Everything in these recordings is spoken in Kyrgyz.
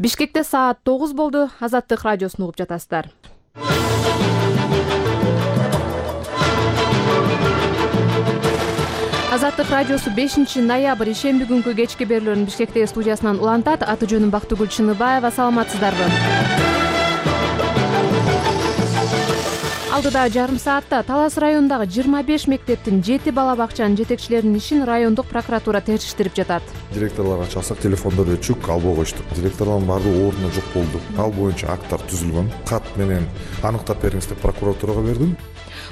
Бишкекте саат 9 болду. Азаттык радиосун угуп жатасыздар. Азаттык радиосу 5-ноябрь ишемби күнкү кечки берүүлөрүн Бишкектеги студиясынан улантат. Аты жөнүм Бактыгүл Чыныбаева. Саламатсыздарбы? Алдыда жарым саатта Талас районундагы 25 мектептин 7 бала бакчанын жетекчилеринин ишин райондук прокуратура териштирип жатат. Директорлорго чалсак, телефондор өчүк, албай коюшту. Директорлордун баардыгы ордуна жок болду. Ал боюнча акттар түзүлгөн. Кат менен аныктап бериңиз деп прокуратурага бердим.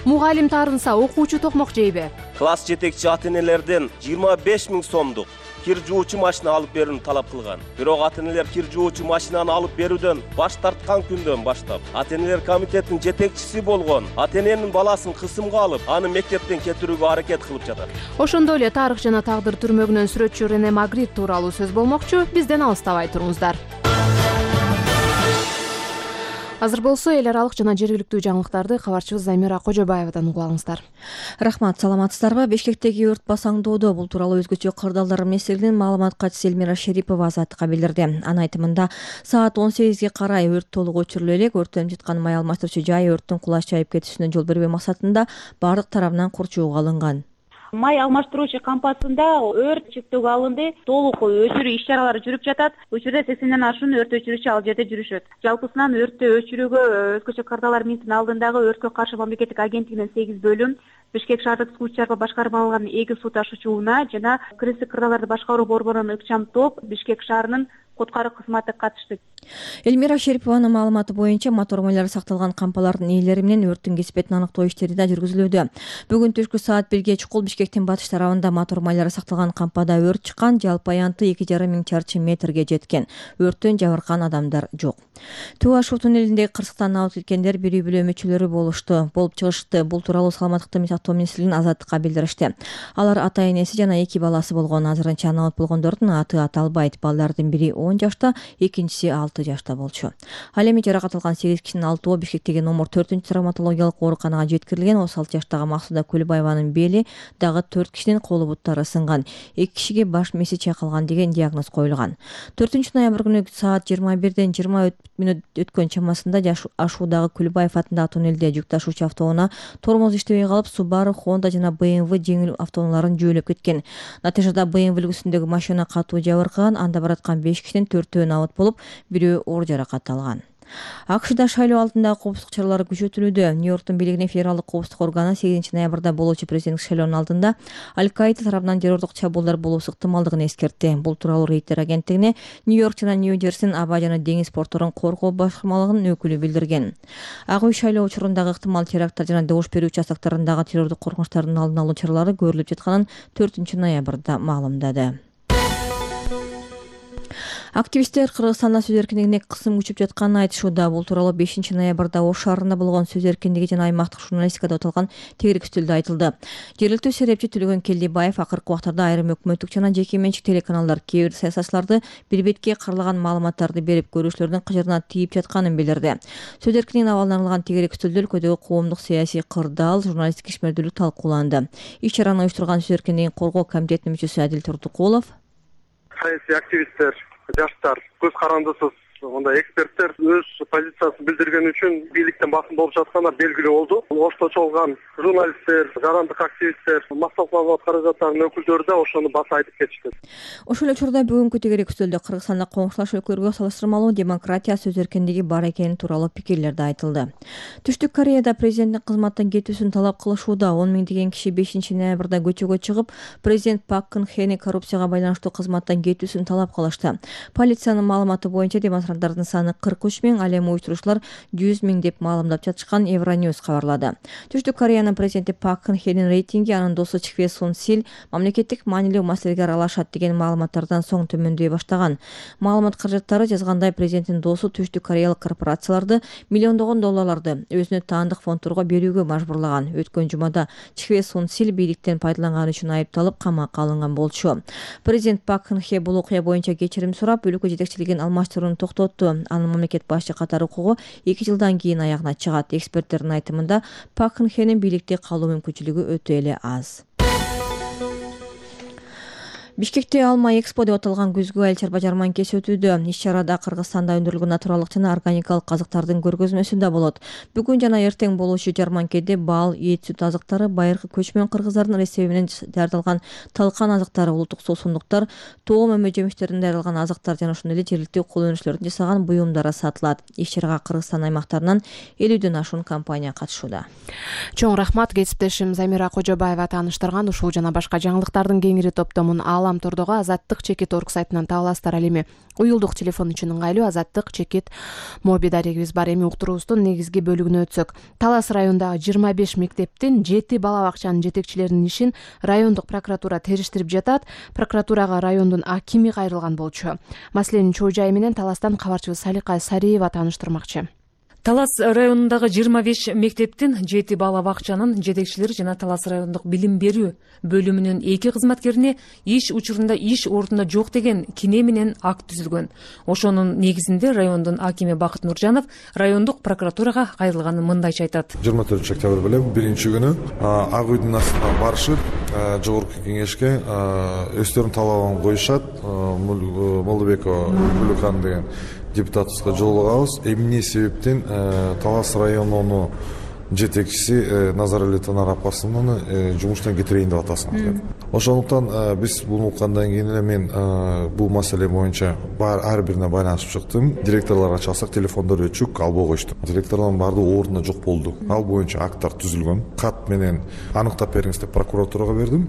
Мугалим таарынса окуучу токмок жейби? Класс жетекчи ата-энелерден 25 000 сомдук кир жуучу машина алып берүүнү талап кылган. Бирок ата-энелер кир жуучу машинаны алып берүүдөн баш тарткан күндөн баштап ата-энелер комитетинин жетекчиси болгон ата-эненин баласын кысымга алып, аны мектептен кетирүүгө аракет кылып жатат. Ошондой эле тарых жана тагдыр түрмөгүнөн сүрөтчү Рене Магрит тууралуу сөз болмокчу. Бизден алыстабай туруңуздар. Азыр болсо эл аралык жана жергиликтүү жаңылыктарды кабарчыбыз Замира Кожобаевадан угуп алыңыздар. Рахмат, саламатсыздарбы? Бишкектеги өрт басаңдоодо бул тууралуу өзгөчө кырдаалдар эместигинен маалымат катчысы Элмира Шерипова Азаттыкка билдирди. Анын айтымында саат 18ге карай өрт толук өчүрүлө элек. Өрттөнүп жаткан май алмаштыруучу жай өрттүн кулаш жайып кетишине жол бербөө максатында бардык тарабынан курчууга алынган. Май алмаштыруучу кампасында өрт чектөөгө алынды. Толук өчүрүү иш-чаралары жүрүп жатат. Учурда 80ден ашуун өрт өчүрүүчү ал жерде жүрүшөт. Жалпысынан өрттү өчүрүүгө өзгөчө кырдаалдар министринин алдындагы өрткө каршы мамлекеттик агенттигинин 8 бөлүм, Бишкек шаардык суу чарба башкармалыгынын 2 суу ташуучу унаа жана кыргыздык кырдаалдарды башкаруу борборунун ыкчам топ Бишкек шаарынын куткаруу кызматы катышты. Элмира Шерипованын маалыматы боюнча мотор майлары сакталган кампалардын ээлери менен өрттүн кесипетин аныктоо иштери да жүргүзүлүүдө. Бүгүн түшкү саат 1ге чукул Бишкектин батыш тарабында мотор майлары сакталган кампада өрт чыккан. Жалпы аянты 2,5 миң чарчы метрге жеткен. Өрттөн жабыркаган адамдар жок. Туу Ашуу туннелиндеги кырсыктан абып кеткендер бир үй бүлө мүчөлөрү болуп чыгышты. Бул тууралуу саламаттыкты сактоо министрлигинин Азаттыкка билдиришти. Алар ата-энеси жана 2 баласы болгон. Азырынча абып болгондордун аты аталбайт. Балдардын бири 10 жашта, экинчиси 6 жашта болчу. Ал эми жаракат алган 8 кишинин 6-оо Бишкектеги номер 4-травматологиялык ооруканага жеткирилген. 36 жаштагы Максуда Көлбаеванын бели, дагы 4 кишинин колу буттары сынган. 2 кишиге баш мээси чайкалган деген диагноз коюлган. 4-ноябрь күнү саат 21ден 20 мүнөт өткөн чамасында Ашуудагы Көлбаев атындагы туннелде жүк ташуучу автоунаа тормоз иштебей калып, Subaru, Honda жана BMW жеңил автоунааларын жөөлөп кеткен. Натыйжада BMW үлгүсүндөгү машина катуу жабыркаган. Анда бараткан 5 кишинин 4-өө абыт болуп, бирөө оор жаракат алган. АКШда шайлоо алдындагы коопсуздук чаралары күчөтүлүүдө. Нью-Йорктун бийлигинин федералдык коопсуздук органы 8-ноябрда болуучу президенттик шайлоонун алдында Аль-Каида тарабынан террордук чабуулдар болуусу ыктымалдыгын эскертти. Бул тууралуу Рейтер агенттигине Нью-Йорк жана Нью-Джерсинин аба жана деңиз порторун коргоо башкармалыгынын өкүлү билдирген. Ак үй шайлоо учурундагы ыктымал теракттар жана добуш берүү участоктарындагы террордук коркунучтардын алдын алуу чаралары көрүлүп жатканын 4-ноябрда маалымдады. Активисттер Кыргызстанда сөз эркиндигине кысым күчүп жатканын айтышууда. Бул тууралуу 5-ноябрда Ош шаарында болгон сөз эркиндиги жана аймактык журналистикада өтөлгөн тегерек үстөлдө айтылды. Жергиликтүү серепчи Төлөгөн Келдибаев акыркы убактарда айрым өкмөттүк жана жеке менчик телеканалдар кээ бир саясатчыларды бир бетке каралаган маалыматтарды берип, көрүүчүлөрдүн кыжырына тийип жатканын билдирди. Сөз эркиндигине абалдан арналган тегерек үстөлдө өлкөдөгү коомдук саясий кырдаал, журналисттик ишмердүүлүк талкууланды. Иш-чараны уюштурган сөз эркиндигин коргоо комитетинин мүчөсү Адил Турдукулов: саясий активисттер, жаштар, көз карандысыз мындай эксперттер өз позициясын билдирген үчүн бийликтен басым болуп жатканы белгилүү болду. Ошто чогулган журналисттер, жарандык активисттер, массалык маалымат каражаттарынын өкүлдөрү да ошону баса айтып кетишти. Ошол эле учурда бүгүнкү тегерек үстөлдө Кыргызстанда коңшулаш өлкөлөргө салыштырмалуу демократия, сөз эркиндиги бар экени тууралуу пикирлер да айтылды. Түштүк Кореяда президенттин кызматтан кетүүсүн талап кылышууда. 10 миңдеген киши 5-ноябрда көчөгө чыгып, президент Пак Кын Хени коррупцияга байланыштуу кызматтан кетүүсүн талап кылышты. Полициянын маалыматы боюнча демонстранттардын саны 43 миң, ал эми уюштуруучулар 100 миң деп маалымдап жатышкан Евроньюз кабарлады. Түштүк Кореянын президенти Пак Кын Хенин рейтинги анын досу Чхве Сун Сил мамлекеттик маанилүү маселеге аралашат деген маалыматтардан соң төмөндөй баштаган. Маалымат каражаттары жазгандай, президенттин досу түштүк кореялык корпорацияларды миллиондогон долларларды өзүнө таандык фондторго берүүгө мажбурлаган. Өткөн жумада Чхве Сун Сил бийликтен пайдаланганы үчүн айыпталып камакка алынган болчу. Президент Пак Кын Хе бул окуя боюнча кечирим сурап, өлкө жетекчилигин алмаштырууну токтотту. Анын мамлекет башчы катары укугу 2 жылдан кийин аягына чыгат. Эксперттердин айтымында Пак Кын Хенин бийликте калуу мүмкүнчүлүгү өтө эле аз. Бишкекте Алма Экспо деп аталган күзгү айыл чарба жарманкеси өтүүдө. Иш-чарада Кыргызстанда өндүрүлгөн натуралдык жана органикалык казыктардын көргөзмөсү да болот. Бүгүн жана эртең болуучу жарманкеде бал, эт, сүт азыктары, байыркы көчмөн кыргыздардын рецепти менен даярдалган талкан азыктары, улуттук суусундуктар, тоом өмө жемиштеринен даярдалган азыктар жана ошондой эле жергиликтүү кол өнүгүүчүлөрдүн жасаган буюмдары сатылат. Иш-чарага Кыргызстан аймактарынан 50ден ашуун компания катышууда. Чоң рахмат, кесиптешим Замира Кожобаева тааныштырган ушул жана башка жаңылыктардын кеңири топтомун Алам тордогу Азаттык-Чекит.org сайтынан таба аласыздар. Ал эми уюлдук телефон үчүн ыңгайлуу Азаттык-Чекит моби дарегибиз бар. Эми уктуруубуздун негизги бөлүгүнө өтсөк, Талас районундагы 25 мектептин 7 бала бакчанын жетекчилеринин ишин райондук прокуратура териштирип жатат. Прокуратурага райондун акими кайрылган болчу. Маселенин чоо жайы менен Таластан кабарчыбыз Салика Сариева тааныштырмакчы. Талас районундагы 25 мектептин 7 бала бакчанын жетекчилери жана Талас райондук билим берүү бөлүмүнүн 2 кызматкерине иш учурунда иш ордунда жок деген кине менен акт түзүлгөн. Ошонун негизинде райондун акими Бакыт Нуржанов райондук прокуратурага кайрылганын мындайча айтат. 24 октябрь белем биринчи күнү ак үйдүн астына барышып, жогорку кеңешке өздөрүнүн талабын коюшат. Молдобекова Гүлүкан деген депутатыбызга жолугабыз. Эмне себептен Талас районунун жетекчиси Назарали Танар апасынын жумуштан кетирейин деп атасың. Ошондуктан биз буну уккандан кийин эле мен бул маселе боюнча ар бирине байланышып чыктым. Директорлорго чалсак телефондор өчүк, албай коюшту. Директорлордун баардыгы ордунда жок болду. Ал боюнча акттар түзүлгөн. Кат менен аныктап бериңиз деп прокуратурага бердим.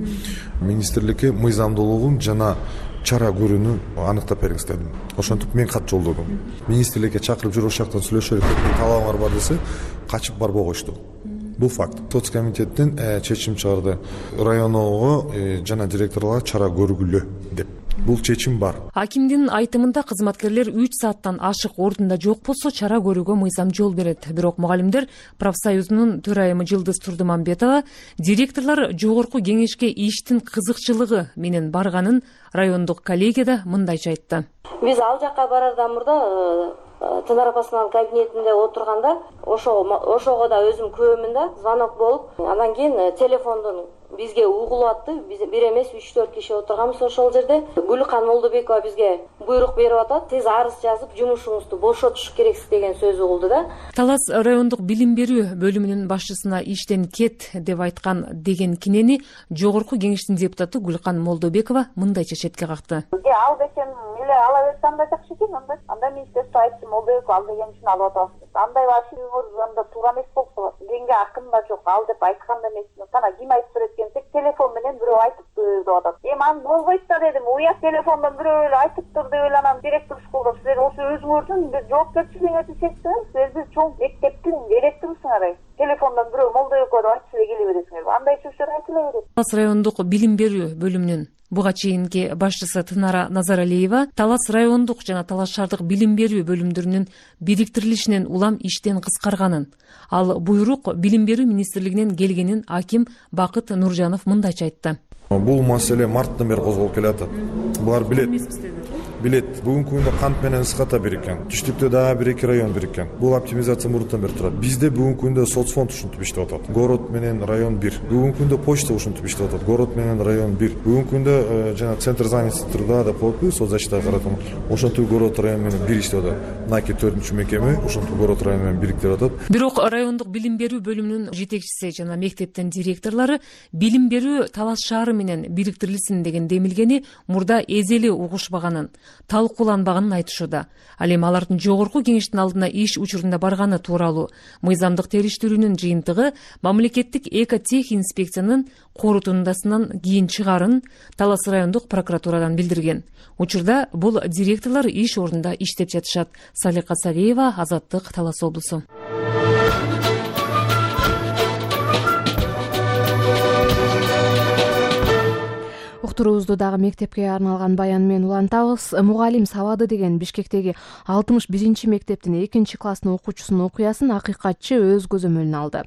Министрликке мыйзамдуулугун жана чара көрүүнү аныктап бериңиз дедим. Ошентип мен кат жолдодум. Министрликке чакырып жүрүп ошол жактан сүйлөшөлүк деп талабыңар бар десе, качып барбай коюшту. Бул факт. Соц комитеттен чечим чыгарды. Районго жана директорлорго чара көргүлө деп. Бул чечим бар. Акимдин айтымында кызматкерлер 3 сааттан ашык ордунда жок болсо чара көрүүгө мыйзам жол берет. Бирок мугалимдер профсоюзунун төрайымы Жылдыз Турдумамбетова директорлор жогорку кеңешке иштин кызыкчылыгы менен барганын райондук коллегияда мындайча айтты. Биз ал жакка барардан мурда Тынар апасынын кабинетинде отурганда ошого да өзүм күбөмүн да, звонок болуп, андан кийин телефондон бизге угулуп атты. Биз бир эмес 3-4 киши отурганбыз ошол жерде. Гүлкан Молдобекова бизге буйрук берип атат. Тез арыз жазып, жумушуңузду бошотуш керексиз деген сөз угулду да. Талас райондук билим берүү бөлүмүнүн башчысына иштен кет деп айткан деген кинени жогорку кеңештин депутаты Гүлкан Молдобекова мындайча четке какты. Ал бекем эле ала берсе андай жакшы экен, анда министрство айтты, Молдобекова ал деген үчүн алып атабыз. Андай вашиңыз анда туура эмес болсо, денге акын да жок, ал деп айткан да эмесмин. Кана ким айтып берет десек, телефон менен бирөө айтыптыр деп атат. Аны болбойт да дедим. Уят телефондон бирөө эле айтыптыр деп эле анан директор школдо силер ошо өзүңөрдүн жоопкерчилигиңерди чечсеңиз, силер чоң мектептин директорусуңар. Телефондон бирөө Молдобекова деп айтып эле келе бересиңер. Андай сөздөр айтыла берет. Талас райондук билим берүү бөлүмүнүн буга чейинки башчысы Тынара Назаралиева Талас райондук жана Талас шаардык билим берүү бөлүмдөрүнүн бириктирилишинен улам иштен кыскарганын, ал буйрук билим берүү министрлигинен келгенин аким Бакыт Нуржанов мындайча айтты. Бул маселе марттан бери козголуп келатат. Булар билет. Бүгүнкү күндө кант менен ысыката бириккен. Түштүктө дагы 1-2 район бириккен. Бул оптимизация мурунтан бери турат. Бизде бүгүнкү күндө соцфонд ушинтип иштеп атат. Город менен район 1. Бүгүнкү күндө почта ушинтип иштеп атат. Город менен район 1. Бүгүнкү күндө жана центр занятости труда деп коюппу, соцзащита каратам. Ошентип город район менен 1 иштеп атат. Наки 4-чү мекеме ошентип город район менен бириктирип атат. Бирок райондук билим берүү бөлүмүнүн жетекчиси жана мектептин директорлору билим берүү Талас шаары менен бириктирилсин деген демилгени мурда эзели угушпаганын, талкууланбаганын айтышууда. Ал эми алардын жогорку кеңештин алдына иш учурунда барганы тууралуу мыйзамдык териштирүүнүн жыйынтыгы мамлекеттик экотех инспекциянын корутундасынан кийин чыгарын Талас райондук прокуратурадан билдирген. Учурда бул директорлор иш ордунда иштеп жатышат. Салика Сариева, Азаттык, Талас облусу. Уктуруубузду дагы мектепке арналган баян менен улантабыз. Мугалим сабады деген Бишкектеги 61 мектептин 2-класстын окуучусунун окуясын акыйкатчы өз көзөмөлүнө алды.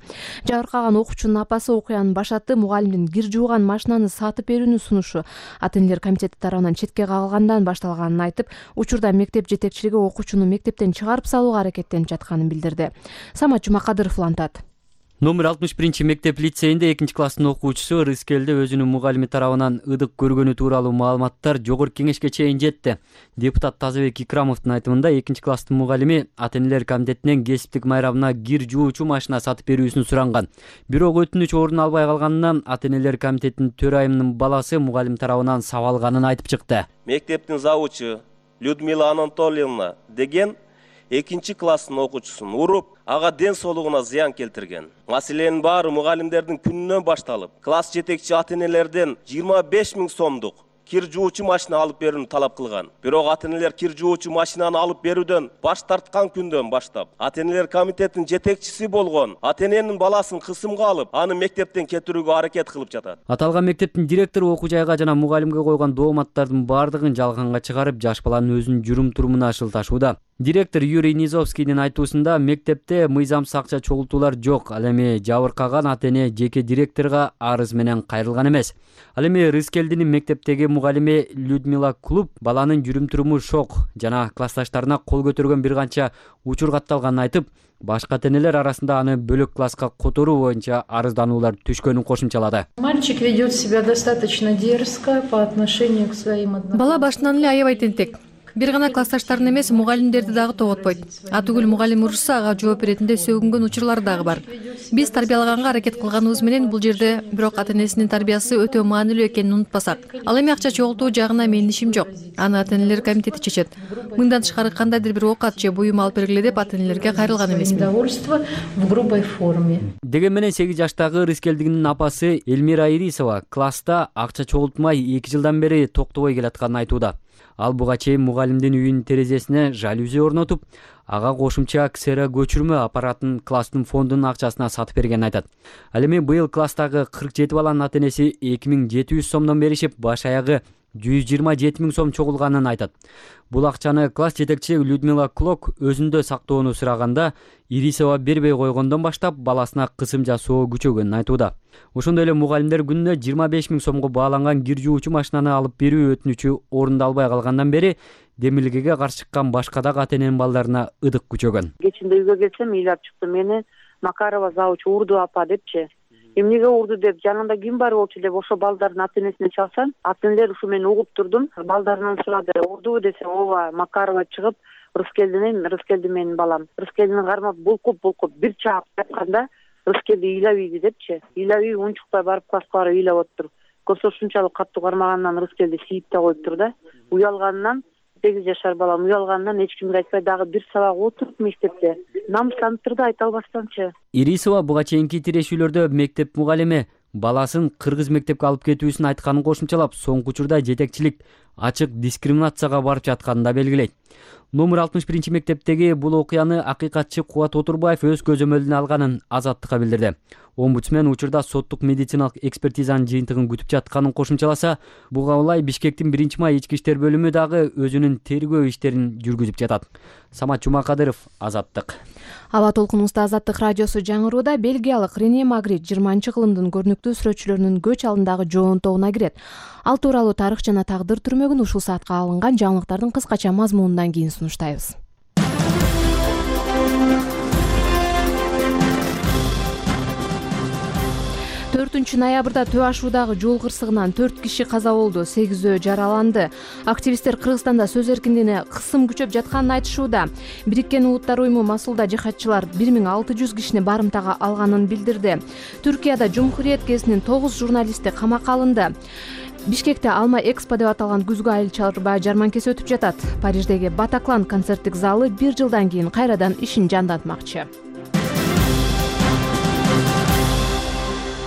Жабыркаган окуучунун апасы окуянын башатты мугалимдин кир жууган машинаны сатып берүүнү сунушу ата-энелер комитети тарабынан четке кагылгандан башталганын айтып, учурда мектеп жетекчилиги окуучуну мектептен чыгарып салууга аракеттенип жатканын билдирди. Самат Жумакадыров улантат. Номер 61 мектеп лицейинде 2-класстын окуучусу Рыскелде өзүнүн мугалими тарабынан ыдык көргөнү тууралуу маалыматтар жогорку кеңешке чейин жетти. Депутат Тазабек Икрамовдун айтымында 2-класстын мугалими ата-энелер комитетинен кесиптик майрамына кир жуучу машина сатып берүүсүн суранган. Бирок өтүнүч орун албай калганынан ата-энелер комитетинин төрайымынын баласы мугалим тарабынан сабалганын айтып чыкты. Мектептин завучу Людмила Анатольевна деген 2-класстын окуучусун уруп, ага ден соолугуна зыян келтирген. Маселенин баары мугалимдердин күнүнөн башталып, класс жетекчи ата-энелерден 25 000 сомдук кир жуучу машина алып берүүнү талап кылган. Бирок ата-энелер кир жуучу машинаны алып берүүдөн баш тарткан күндөн баштап, ата-энелер комитетинин жетекчиси болгон ата-эненин баласын кысымга алып, аны мектептен кетирүүгө аракет кылып жатат. Аталган мектептин директору окуу жайга жана мугалимге койгон дооматтардын баардыгын жалганга чыгарып, жаш баланын өзүнүн жүрүм-турумуна шылташууда. Директор Юрий Низовскийдин айтуусунда мектепте мыйзамсыз акча чогултуулар жок. Ал эми жабыркаган ата-эне жеке директорго арыз менен кайрылган эмес. Ал эми Рыскелдинин мектептеги мугалими Людмила Клуб баланын жүрүм-туруму шок жана классташтарына кол көтөргөн бир канча учур катталганын айтып, башка ата-энелер арасында аны бөлөк класска которуу боюнча арыздануулар түшкөнүн кошумчалады. Мальчик ведет себя достаточно дерзко по отношению к своим одноклассникам. Бала башынан эле аябай тентек. Бир гана классташтарын эмес, мугалимдерди дагы тоготпойт. Атүгүл мугалим урушса, ага жооп беретинде сөгүнгөн учурлары дагы бар. Биз тарбиялаганга аракет кылганыбыз менен бул жерде бирок ата-энесинин тарбиясы өтө маанилүү экенин унутпасак. Ал эми акча чогултуу жагына менин ишим жок. Аны ата-энелер комитети чечет. Мындан тышкары кандайдыр бир оокат же буюм алып бергиле деп ата-энелерге кайрылган эмесмин. Недовольство в грубой форме. Деген менен 8 жаштагы Рыскелдигинин апасы Эльмира Ирисова класста акча чогултмай 2 жылдан бери токтобой келатканын айтууда. Ал буга чейин мугалимдин үйүнүн терезесине жалюзи орнотуп, ага кошумча ксера көчүрмө аппаратын класстын фондунун акчасына сатып бергенин айтат. Ал эми быйыл класстагы 47 баланын ата-энеси 2700 сомдон беришип, баш аягы 127 000 сом чогулганын айтат. Бул акчаны класс жетекчиси Людмила Клок өзүндө сактоону сураганда, Ирисова бербей койгондон баштап баласына кысым жасоо күчөгөнүн айтууда. Ошондой эле мугалимдер күнүнө 25 000 сомго бааланган кир жуучу машинаны алып берүү өтүнүчү орундалбай калгандан бери демилгеге каршы чыккан башка дагы ата-эненин балдарына ыдык күчөгөн. Кечинде үйгө келсем, ыйлап чыкты, мени Макарова завуч урду апа депчи. Эмнеге урду деп, жанында ким бар болчу деп ошо балдардын ата-энесине чалсам, ата-энелер ушу мен угуп турдум. Балдарынан сурады, урдубу десем, ооба, Макарова чыгып, Рыскелди менин балам. Рыскелдини кармап булкуп бир чаап жатканда, Рыскелди ыйлап ийди депчи. Ыйлап ийип унчукпай барып класска барып ыйлап отур. Көрсө ушунчалык каттуу кармагандан Рыскелди сийип да коюптур да. Уялганынан 8 жашар балам уялгандан эч кимге айтпай дагы бир сабак отуруп мектепте намыстанып турду, айта албастанчы. Ирисова буга чейинки тирешүүлөрдө мектеп мугалими баласын кыргыз мектепке алып кетүүсүн айтканын кошумчалап, соңку учурда жетекчилик ачык дискриминацияга барып жатканын да белгилейт. Номер 61 мектептеги бул окуяны акыйкатчы Кубат Отурбаев өз көзөмөлүнө алганын Азаттыкка билдирди. Омбудсмен учурда соттук медициналык экспертизанын жыйынтыгын күтүп жатканын кошумчаласа, буга улай Бишкектин 1-май ички иштер бөлүмү дагы өзүнүн тергөө иштерин жүргүзүп жатат. Самат Жумакадыров, Азаттык. Аба толкунубузда Азаттык радиосу жаңырууда. Бельгиялык Рене Магрит 20-кылымдын көрүнүктүү сүрөтчүлөрүнүн көч алдындагы жоонтогуна кирет. Ал тууралуу тарых жана тагдыр түрмөгүн ушул саатка алынган жаңылыктардын кыскача мазмунунан кийин сунуштайбыз. 4 ноябрда Төө ашуудагы жол кырсыгынан 4 киши каза болду, 8 жараланды. Активисттер Кыргызстанда сөз эркиндигине кысым күчөп жатканын айтышууда. Бириккен Улуттар уюму Масулда жихадчылар 1600 кишини барымтага алганын билдирди. Түркияда Жумхуриет гезитинин 9 журналисти камакка алынды. Бишкекте Алма Экспо деп аталган күзгү айыл чарба жарманкеси өтүп жатат. Париждеги Батаклан концерттик залы 1 жылдан кийин кайрадан ишин жандантмакчы.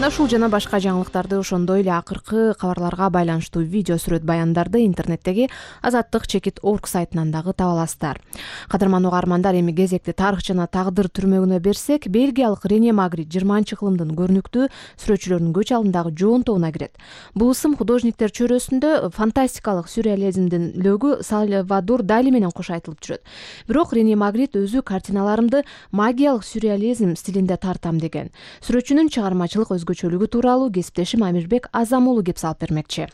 Ушул жана башка жаңылыктарды, ошондой эле акыркы кабарларга байланыштуу видео сүрөт баяндарды интернеттеги azattik.org сайтынан дагы таба аласыздар. Кадырман угармандар, эми кезекти тарых жана тагдыр түрмөгүнө берсек, бельгиялык Рене Магрит 20-кылымдын көрүнүктүү сүрөтчүлөрүнүн көч алдындагы жоонтогуна кирет. Бул ысым художниктер чөйрөсүндө фантастикалык сюрреализмдин лөгү Сальвадор Дали менен кош айтылып жүрөт. Бирок Рене Магрит өзү картиналарымды магиялык сюрреализм стилинде тартам деген. Сүрөтчүнүн чыгармачылык өзгөчөлүгү тууралуу кесиптешим Амирбек Азамулу кеп салып бермекчи.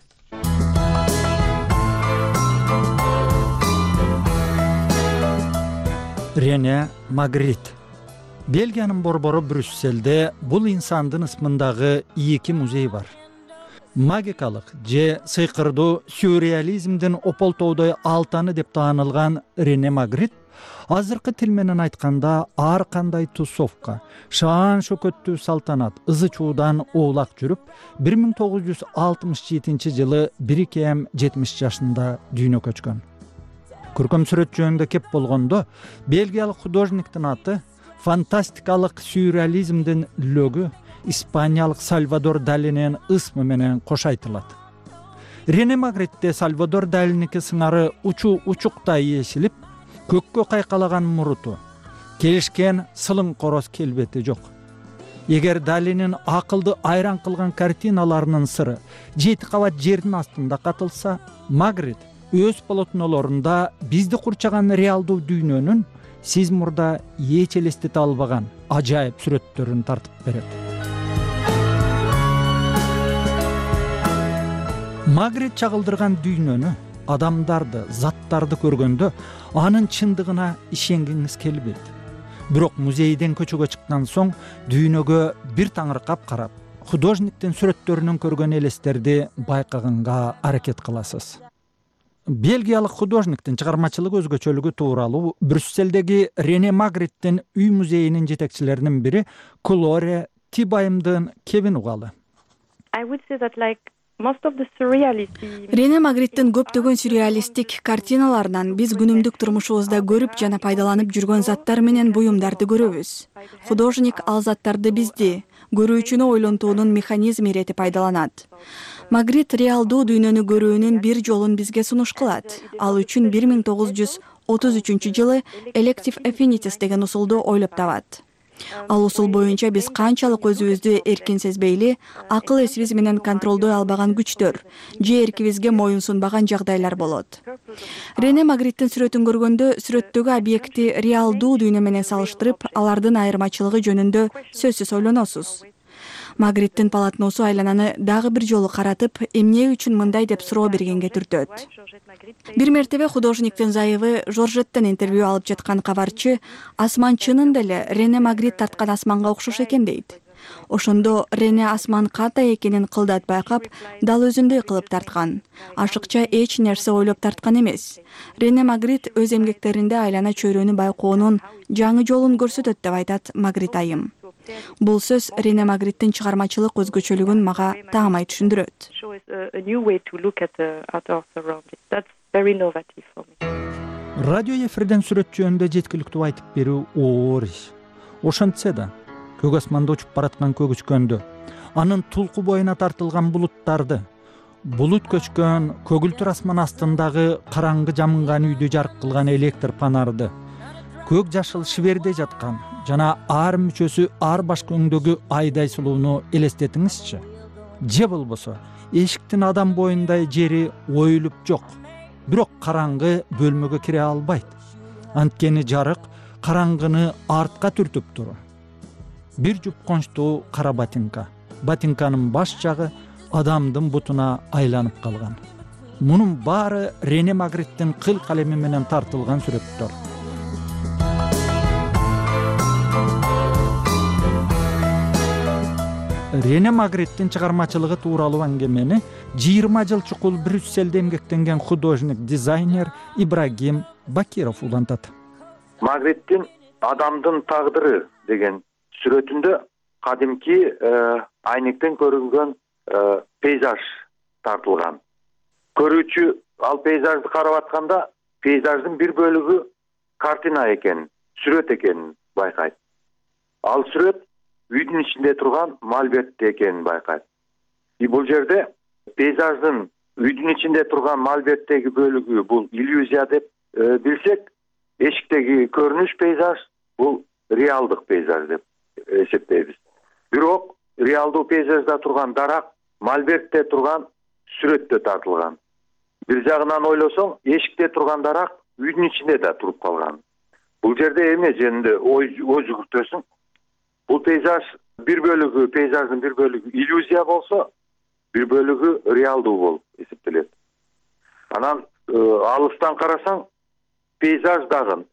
Рене Магрит Бельгиянын борбору Брюсселде бул инсандын ысмындагы 2 музей бар. Магикалык же сыйкырдуу сюрреализмдин ополтоодой алтаны деп таанылган Рене Магрит азыркы тил менен айтканда ар кандай тусовка, шаан шөкөттүү салтанат, ызы чуудан оолак жүрүп 1967 жылы 1-70 жашында дүйнө көчкөн. Көркөм сүрөт жөнүндө кеп болгондо бельгиялык художниктин аты фантастикалык сюрреализмдин лөгү испаниялык Сальвадор Далинин ысмы менен кош айтылат. Рене Магритте Сальвадор Далиники сыңары учуктай эшилип, көккө кайкалаган муруту, келишкен сылың короз келбети жок. Эгер Далинин акылды айран кылган картиналарынын сыры 7 кабат жердин астында катылса, Магрит өз полотнолорунда бизди курчаган реалдуу дүйнөнүн сиз мурда эч элестете албаган ажайып сүрөттөрүн тартып берет. Магрит чагылдырган дүйнөнү, адамдарды, заттарды көргөндө анын чындыгына ишенгиңиз келбейт. Бирок музейден көчөгө чыккан соң дүйнөгө бир таңыркап карап, художниктин сүрөттөрүнөн көргөн элестерди байкаганга аракет кыласыз. Бельгиялык художниктин чыгармачылык өзгөчөлүгү тууралуу Брюсселдеги Рене Магриттин үй музейинин жетекчилеринин бири Клоре Тибаймдын кебин угалы. Рене Магриттин көптөгөн сюрреалисттик картиналарынан биз күнүмдүк турмушубузда көрүп жана пайдаланып жүргөн заттар менен буюмдарды көрөбүз. Художник ал заттарды бизди көрүүчүнү ойлонтуунун механизми иретип пайдаланат. Магрит реалдуу дүйнөнү көрүүнүн бир жолун бизге сунуш кылат. Ал үчүн 1933 жылы Elective Affinities деген усулду ойлоп табат. Ал усул боюнча биз канчалык өзүбүздү эркин сезбейли, акыл эсибиз менен контролдой албаган күчтөр же эркибизге моюн сунбаган жагдайлар болот. Рене Магриттин сүрөтүн көргөндө сүрөттөгү объекти реалдуу дүйнө менен салыштырып, алардын айырмачылыгы жөнүндө сөзсүз ойлоносуз. Магриттин полотносу айлананы дагы бир жолу каратып, эмне үчүн мындай деп суроо бергенге түртөт. Бир мертебе художниктин зайыбы Жоржеттен интервью алып жаткан кабарчы асман чынында эле Рене Магрит тарткан асманга окшош экен дейт. Ошондо Рене асман кандай экенин кылдат байкап, дал өзүндөй кылып тарткан. Ашыкча эч нерсе ойлоп тарткан эмес. Рене Магрит өз эмгектеринде айлана чөйрөнү байкоонун жаңы жолун көрсөтөт деп айтат Магрит айым. Бул сөз Рене Магриттин чыгармачылык өзгөчөлүгүн мага таамай түшүндүрөт. Радио эфирден сүрөт жөнүндө жеткиликтүү айтып берүү оор иш. Ошентсе да, көк асманда учуп бараткан көк үчкөндө, анын тулку боюна тартылган булуттарды, булут көчкөн көгүлтүр асман астындагы караңгы жамынган үйдү жарык кылган электр панарды, көк жашыл шиберде жаткан жана ар мүчөсү ар башка өңдөгү айдай сулууну элестетиңизчи. Же болбосо эшиктин адам боюндай жери оюлуп жок, бирок караңгы бөлмөгө кире албайт. Анткени жарык караңгыны артка түртүп тур. Бир жуп кончтуу кара ботинка. Ботинканын баш жагы адамдын бутуна айланып калган. Мунун баары Рене Магриттин кыл калеми менен тартылган сүрөттөр. Рене Магриттин чыгармачылыгы тууралуу аңгемени 20 жыл чукул Брюсселде эмгектенген художник, дизайнер Ибрагим Бакиров улантат. Магриттин адамдын тагдыры деген сүрөтүндө кадимки айнектен көрүнгөн пейзаж тартылган. Көрүүчү ал пейзажды карап атканда пейзаждын бир бөлүгү картина экенин, сүрөт экенин байкайт. Ал сүрөт үйдүн ичинде турган мольберт экенин байкайт. Бул жерде пейзаждын үйдүн ичинде турган мольберттеги бөлүгү бул иллюзия деп билсек, эшиктеги көрүнүш пейзаж бул реалдык пейзаж деп эсептейбиз. Бирок реалдуу пейзажда турган дарак мольбертте турган сүрөттө тартылган. Бир жагынан ойлосоң, эшикте турган дарак үйдүн ичинде да туруп калган. Бул жерде эмне жөнүндө ой жүгүртөсүң? Бул пейзаж бир бөлүгү, пейзаждын бир бөлүгү иллюзия болсо, бир бөлүгү реалдуу болуп эсептелет. Анан алыстан карасаң, пейзаж дагы,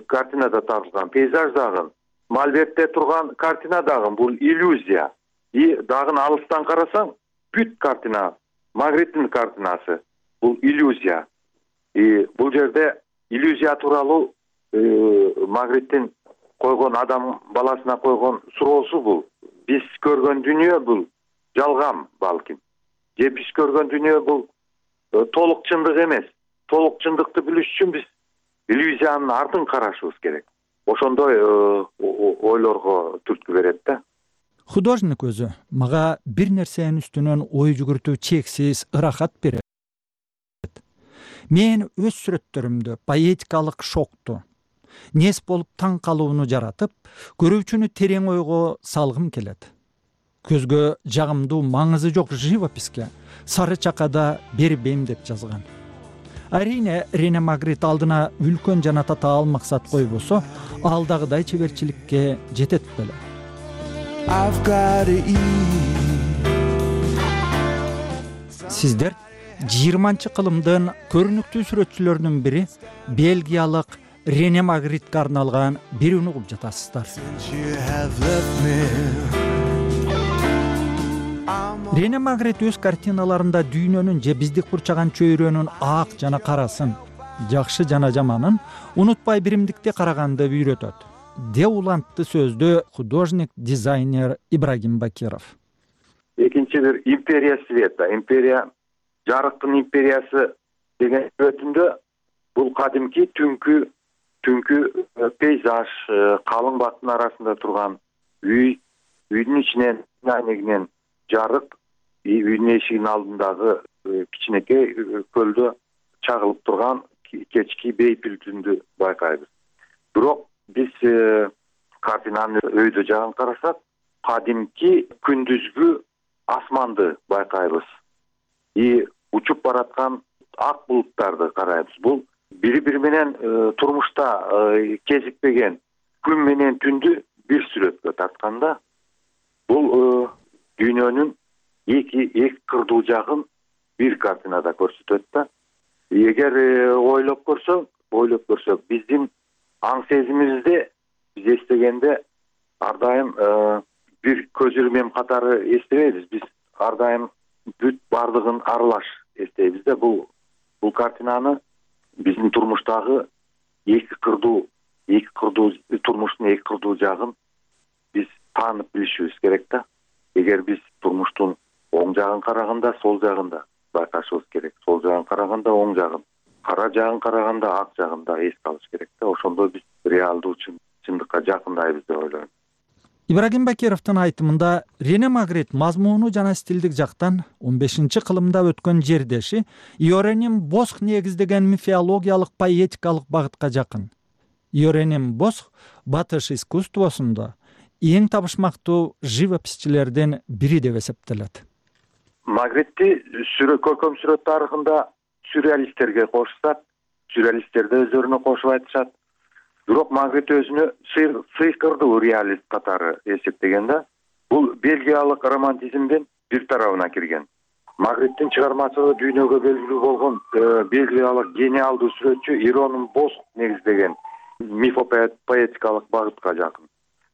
картинада тартылган пейзаж дагы мольбертте турган картина дагы бул иллюзия. И дагы алыстан карасаң, бүт картина, Магриттин картинасы бул иллюзия. И бул жерде иллюзия тууралуу Магриттин койгон адам баласына койгон суроосу бул. Биз көргөн дүйнө бул жалган балким. Же биз көргөн дүйнө бул толук чындык эмес. Толук чындыкты билиш үчүн биз иллюзиянын артын карашыбыз керек. Ошондой ойлорго түрткү берет да. Художник өзү мага бир нерсенин үстүнөн ой жүгүртүү чексиз ырахат берет. Мен өз сүрөттөрүмдө поэтикалык шокту, нес болуп таң калууну жаратып, көрүүчүнү терең ойго салгым келет. Көзгө жагымдуу маңызы жок живописке сары чакада бербейм деп жазган. Арине Рене Магрит алдына үлкөн жана татаал максат койбосо, ал дагыдай чеберчиликке жетет беле. Сиздер 20-кылымдын көрүнүктүү сүрөтчүлөрүнүн бири Бельгиялык Рене Магритке арналган бир үн угуп жатасыздар. Рене Магрит өз картиналарында дүйнөнүн же биздик курчаган чөйрөнүн ак жана карасын, жакшы жана жаманын унутпай биримдикте караганды үйрөтөт. Де улантты сөздө художник, дизайнер Ибрагим Бакиров. Экинчи бир империя света, империя жарыктын империясы деген сүрөтүндө бул кадимки түнкү пейзаж, калың бактын арасында турган үй, үйдүн ичинен негинен жарык, үйдүн эшигинин алдындагы кичинекей көлдө чагылып турган кечки бейпил түндү байкайбыз. Бирок биз картинанын өйдө жагын карасак, кадимки күндүзгү асманды байкайбыз. И учуп бараткан ак булуттарды карайбыз. Бул бири-бири менен турмушта кезикпеген күн менен түндү бир сүрөткө тартканда, бул дүйнөнүн эки кырдуу жагын бир картинада көрсөтөт да. Эгер ойлоп көрсөк, биздин аң сезимибизде биз эстегенде ар дайым бир көз ирмем катары эстебейбиз. Биз ар дайым бүт бардыгын аралаш эстейбиз да. Бул картинаны биздин турмуштагы эки кырдуу турмуштун эки кырдуу жагын биз таанып билишибиз керек да. Эгер биз турмуштун оң жагын караганда, сол жагын да байкашыбыз керек. Сол жагын караганда оң жагын, кара жагын караганда ак жагын да эске алыш керек да. Ошондо биз реалдуу чындыкка жакындайбыз деп ойлойм. Ибрагим Бакировдун айтымында Рене Магрит мазмуну жана стилдик жактан 15-кылымда өткөн жердеши Йораним Босх негиздеген мифологиялык поэтикалык багытка жакын. Йораним Босх батыш искусствосунда эң табышмактуу живописчилердин бири деп эсептелет. Магритти көркөм сүрөт тарыхында сюрреалисттерге кошушат, сюрреалисттер да өздөрүнө кошуп айтышат. Бирок Магрит өзүнө сыйкырдуу реалист катары эсептеген да. Бул бельгиялык романтизмдин бир тарабына кирген. Магриттин чыгармачылыгы дүйнөгө белгилүү болгон бельгиялык гениалдуу сүрөтчү Иронун Босх негиздеген мифопоэтикалык багытка жакын.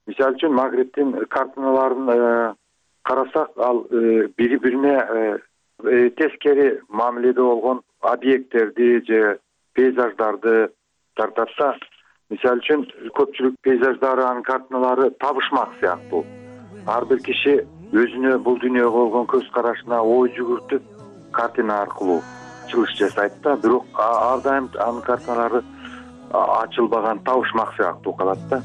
Мисалы үчүн Магриттин картиналарын карасак, ал бири-бирине тескери мамиледе болгон объекттерди же пейзаждарды тартатса, мисалы үчүн көпчүлүк пейзаждары, анын картиналары табышмак сыяктуу. Ар бир киши өзүнө бул дүйнөгө болгон көз карашына ой жүгүртүп, картина аркылуу чыгыш жасайт да. Бирок ар дайым анын картиналары ачылбаган, табышмак сыяктуу калат да.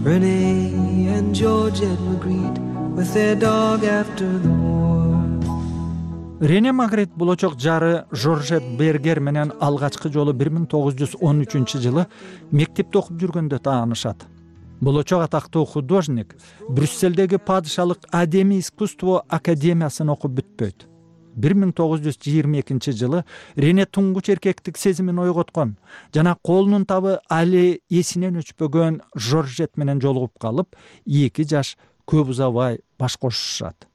Renee and Georgette Magritte with their dog after the war. Рене Магрит болочок жары Жоржет Бергер менен алгачкы жолу 1913-жылы мектепте окуп жүргөндө таанышат. Болочок атактуу художник Брюсселдеги падышалык Адемий искусство академиясын окуп бүтпөйт. 1922-жылы Рене туңгуч эркектик сезимин ойготкон жана колунун табы али эсинен өчпөгөн Жоржет менен жолугуп калып, 2 жаш көп узабай баш кошушат.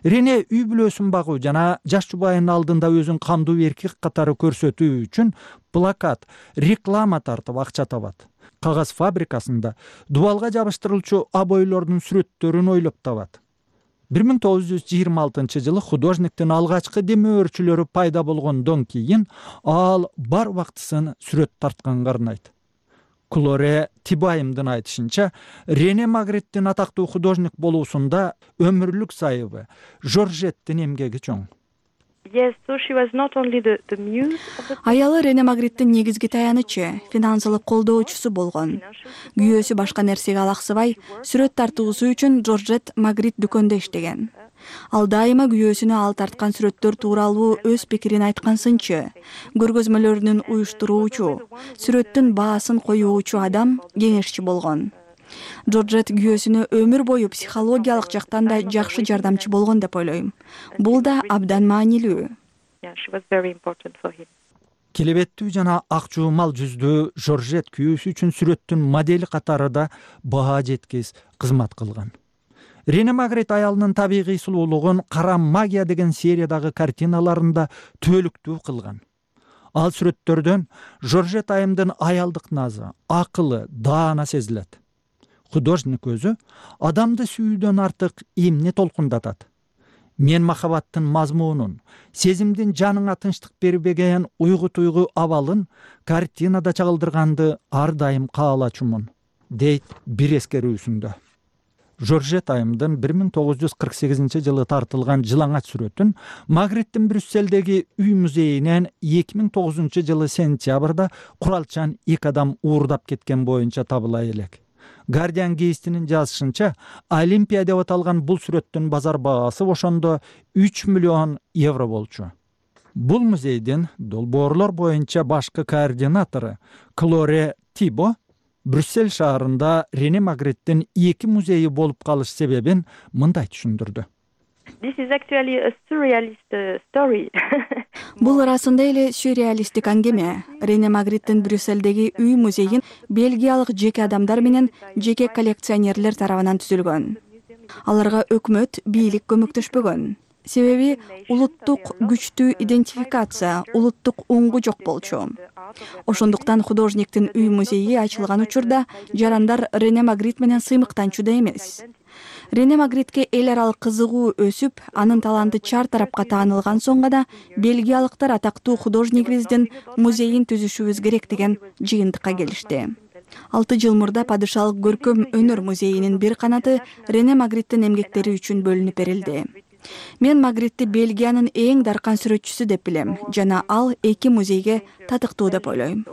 Рене үй бүлөсүн багуу жана жаш жубайынын алдында өзүн камдуу эркек катары көрсөтүү үчүн плакат, реклама тартып акча табат. кагаз фабрикасында дубалга жабыштырылчу обойлордун сүрөттөрүн ойлоп табат. 1926 художниктин алгачкы демөөрчүлөрү пайда болгондон кийин ал бар убактысын сүрөт тартканга арнайт. Клоре Тибайымдын айтышынча, Рене Магриттин атактуу художник болуусунда өмүрлүк сайыбы, Жоржеттин эмгеги чоң. Аялы Рене Магриттин негизги таянычы, финансылык колдоочусу болгон. Күйөөсү башка нерсеге алаксыбай, сүрөт тартуусу үчүн Жоржет Магрит дүкөндө иштеген. Ал дайыма күйөөсүнө ал тарткан сүрөттөр тууралуу өз пикирин айткансынчы, көргөзмөлөрүнүн уюштуруучу, сүрөттүн баасын коюучу адам, кеңешчи болгон. Жоржет күйөөсүнө өмүр бою психологиялык жактан да жакшы жардамчы болгон деп ойлойм. Бул да абдан маанилүү. Келебеттүү жана ак жуумал жүздүү Жоржет күйөөсү үчүн сүрөттүн модели катары да баа жеткис кызмат кылган. Рене Магрит аялынын табигый сулуулугун Кара магия деген сериядагы картиналарында түбөлүктүү кылган. Ал сүрөттөрдөн Жоржет айымдын аялдык назы, акылы, даана сезилет. Художник өзү адамды сүйүүдөн артык эмне толкундатат? Мен махабаттын мазмунун, сезимдин жаныңа тынчтык бербеген уйгу-туйгу абалын картинада чагылдырганды ар дайым каалачумун, дейт бир эскерүүсүндө. Жоржет айымдын 1948 тартылган жылаңач сүрөтүн Магриттин Брюсселдеги үй музейинен 2009 сентябрда куралчан 2 адам уурдап кеткен боюнча табыла элек. Guardian гезитинин жазышынча, Олимпия деп аталган бул сүрөттүн базар баасы ошондо 3 миллион евро болчу. Бул музейдин долбоорлор боюнча башкы координатору Клоре Тибо Брюссель шаарында Рене Магриттин 2 музейи болуп калыш себебин мындай түшүндүрдү. Бул ырасында эле сюрреалисттик аңгеме. Рене Магриттин Брюссельдеги үй музейин бельгиялык жеке адамдар менен жеке коллекционерлер тарабынан түзүлгөн. Аларга өкмөт, бийлик көмөктөшпөгөн. Себеби улуттук күчтүү идентификация, улуттук уңгу жок болчу. Ошондуктан художниктин үй музейи ачылган учурда жарандар Рене Магрит менен сыймыктанчу да эмес. Рене Магритке эл аралык кызыгуу өсүп, анын таланты чар тарапка таанылган соң гана бельгиялыктар атактуу художнигибиздин музейин түзүшүбүз керек деген жыйынтыкка келишти. 6 жыл мурда падышалык көркөм өнөр музейинин бир канаты Рене Магриттин эмгектери үчүн бөлүнүп берилди. Мен Магритти Бельгиянын эң даркан сүрөтчүсү деп билем, жана ал 2 музейге татыктуу деп ойлойм.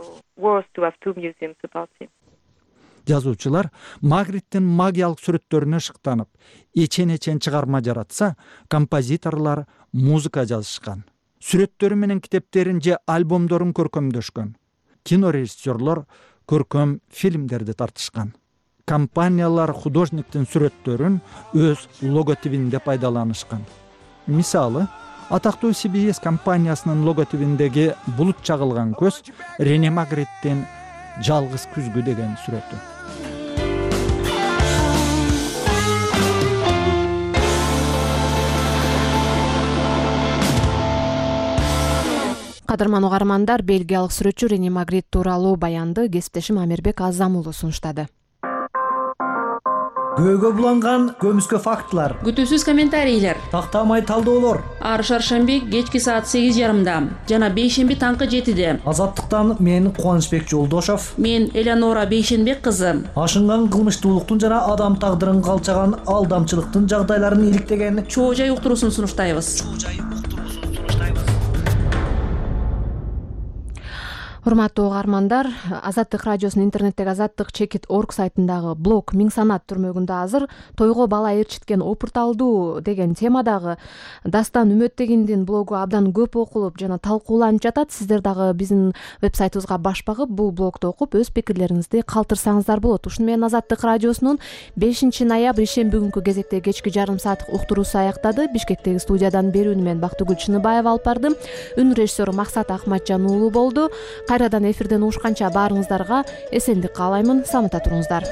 Жазуучулар Магриттин магиялык сүрөттөрүнө шыктанып, эчен чыгарма жаратса, композиторлор музыка жазышкан. Сүрөттөрү менен китептерин же альбомдорун көркөмдөшкөн. Кинорежиссерлор көркөм фильмдерди тартышкан. Компаниялар художниктин сүрөттөрүн өз логотипинде пайдаланышкан. Мисалы, атактуу CBS компаниясынын логотипиндеги булут чагылган көз Рене Магриттин жалгыз күзгү деген сүрөтү. Кадырман угармандар, бельгиялык сүрөтчү Рене Магрит тууралуу баянды кесиптешим Амирбек Азам уулу сунуштады. Көөгө буланган көмүскө фактылар, күтүүсүз комментарийлер, тактамай талдоолор. Ар шаршемби кечки саат 8:30, жана бейшемби таңкы 7:de. Азаттыктан мен Кубанычбек Жолдошов, мен Элеонора Бейшенбек кызы. Ашынган кылмыштуулуктун жана адам тагдырын калчаган алдамчылыктын жагдайларын иликтеген чоо жай уктуруусун сунуштайбыз. Урматтуу угармандар, Азаттык радиосунун интернеттеги azattik.org сайтындагы блог Миң санат түрмөгүндө азыр тойго бала ээрчиткен опурталдуу деген темадагы Дастан Үмөттегиндин блогу абдан көп окулуп жана талкууланып жатат. Сиздер дагы биздин вебсайтыбызга баш багып, бул блогду окуп, өз пикирлериңизди калтырсаңыздар болот. Ушуну менен Азаттык радиосунун 5 ноябрь ишемби күнкү кезекте кечки жарым сааттык уктуруусу аяктады. Бишкектеги студиядан берүүнү мен Бактыгүл Чыныбаева алып бардым. Үн режиссеру Максат Ахматжан уулу болду. Кайрадан эфирден угушканча баарыңыздарга эсендик каалаймын. Самата туруңуздар.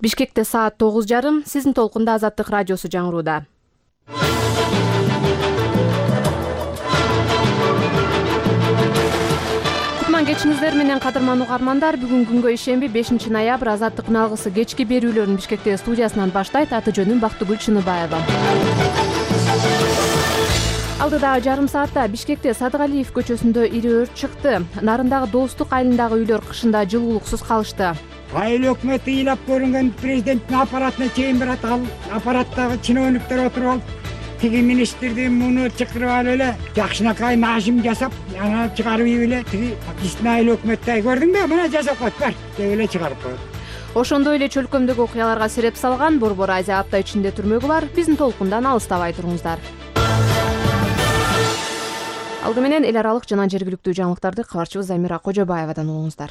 Бишкекте саат 9:30. Сиздин толкунда Азаттык радиосу жаңырууда. Кутман кечиңиздер менен кадырман угармандар. Бүгүн күнгө ишемби 5 ноябрь Азаттыктын алгысы кечки берүүлөрүн Бишкекте студиясынан баштайт. Аты жөнүм Бактыгүл Чыныбаева. Алдыдагы жарым саатта Бишкекте Садыгалиев көчөсүндө ири өрт чыкты. Нарындагы Достук айылындагы үйлөр кышында жылуулуксуз калышты. Айыл өкмөтү ыйлап көрүнгөн президенттин аппаратына чейин барат. Ал аппараттагы чиновниктер отуруп алып, тиги министрди муну чакырып алып эле жакшынакай нажим жасап, аны чыгарып эле тиги биздин айыл өкмөттү көрдүңбү? Мына жасап коет бар деп эле чыгарып коет. Ошондой эле чөлкөмдөгү окуяларга сереп салган Борбор Азия апта ичинде түрмөгү бар. Биздин толкундан алыстабай туруңуздар. Алды менен эл аралык жана жергиликтүү жаңылыктарды кабарчыбыз Замира Кожобаевадан угуңуздар.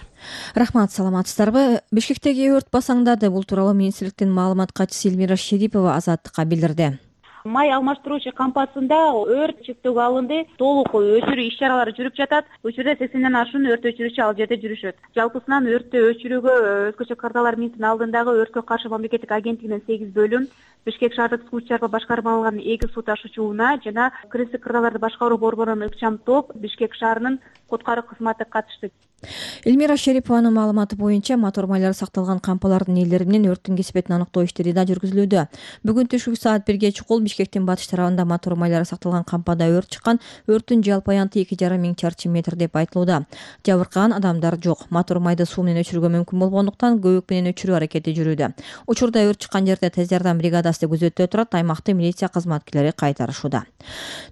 Рахмат, саламатсыздарбы? Бишкектеги өрт басаңдады. Бул тууралуу министрликтин маалымат катчысы Элмира Шерипова Азаттыкка билдирди. Май алмаштыруучу кампасында өрт чектөөгө алынды. Толук өчүрүү иш-чаралары жүрүп жатат. Учурда 80ден ашуун өрт өчүрүүчү ал жерде жүрүшөт. Жалпысынан өрттү өчүрүүгө өзгөчө кардалар минтин алдындагы өрткө каршы мамлекеттик агенттигинен 8 бөлүм, Бишкек шаардык суу чарба башкармалыгынын 2 суу ташуучу унаа жана кырсык кырдааларды башкаруу борборунун ыкчам топ Бишкек шаарынын куткаруу кызматы катышты. Элмира Шерипованын маалыматы боюнча мотор майлары сакталган кампалардын ээлери менен өрттүн кесепетин аныктоо иштери да жүргүзүлүүдө. Бүгүн түшкү саат 1-ге чукул Бишкектин батыш тарабында мотор майлары сакталган кампада өрт чыккан. Өрттүн жалпы аянты 2,5 миң чарчы метр деп айтылууда. Жабыркаган адамдар жок. Мотор майды суу менен өчүрүүгө мүмкүн болгондуктан көбүк менен өчүрүү аракети жүрүүдө. Учурда өрт чыккан жерде тез жардам бригадасы күзөттө турат. Аймактын милиция кызматкерлери кайтарышууда.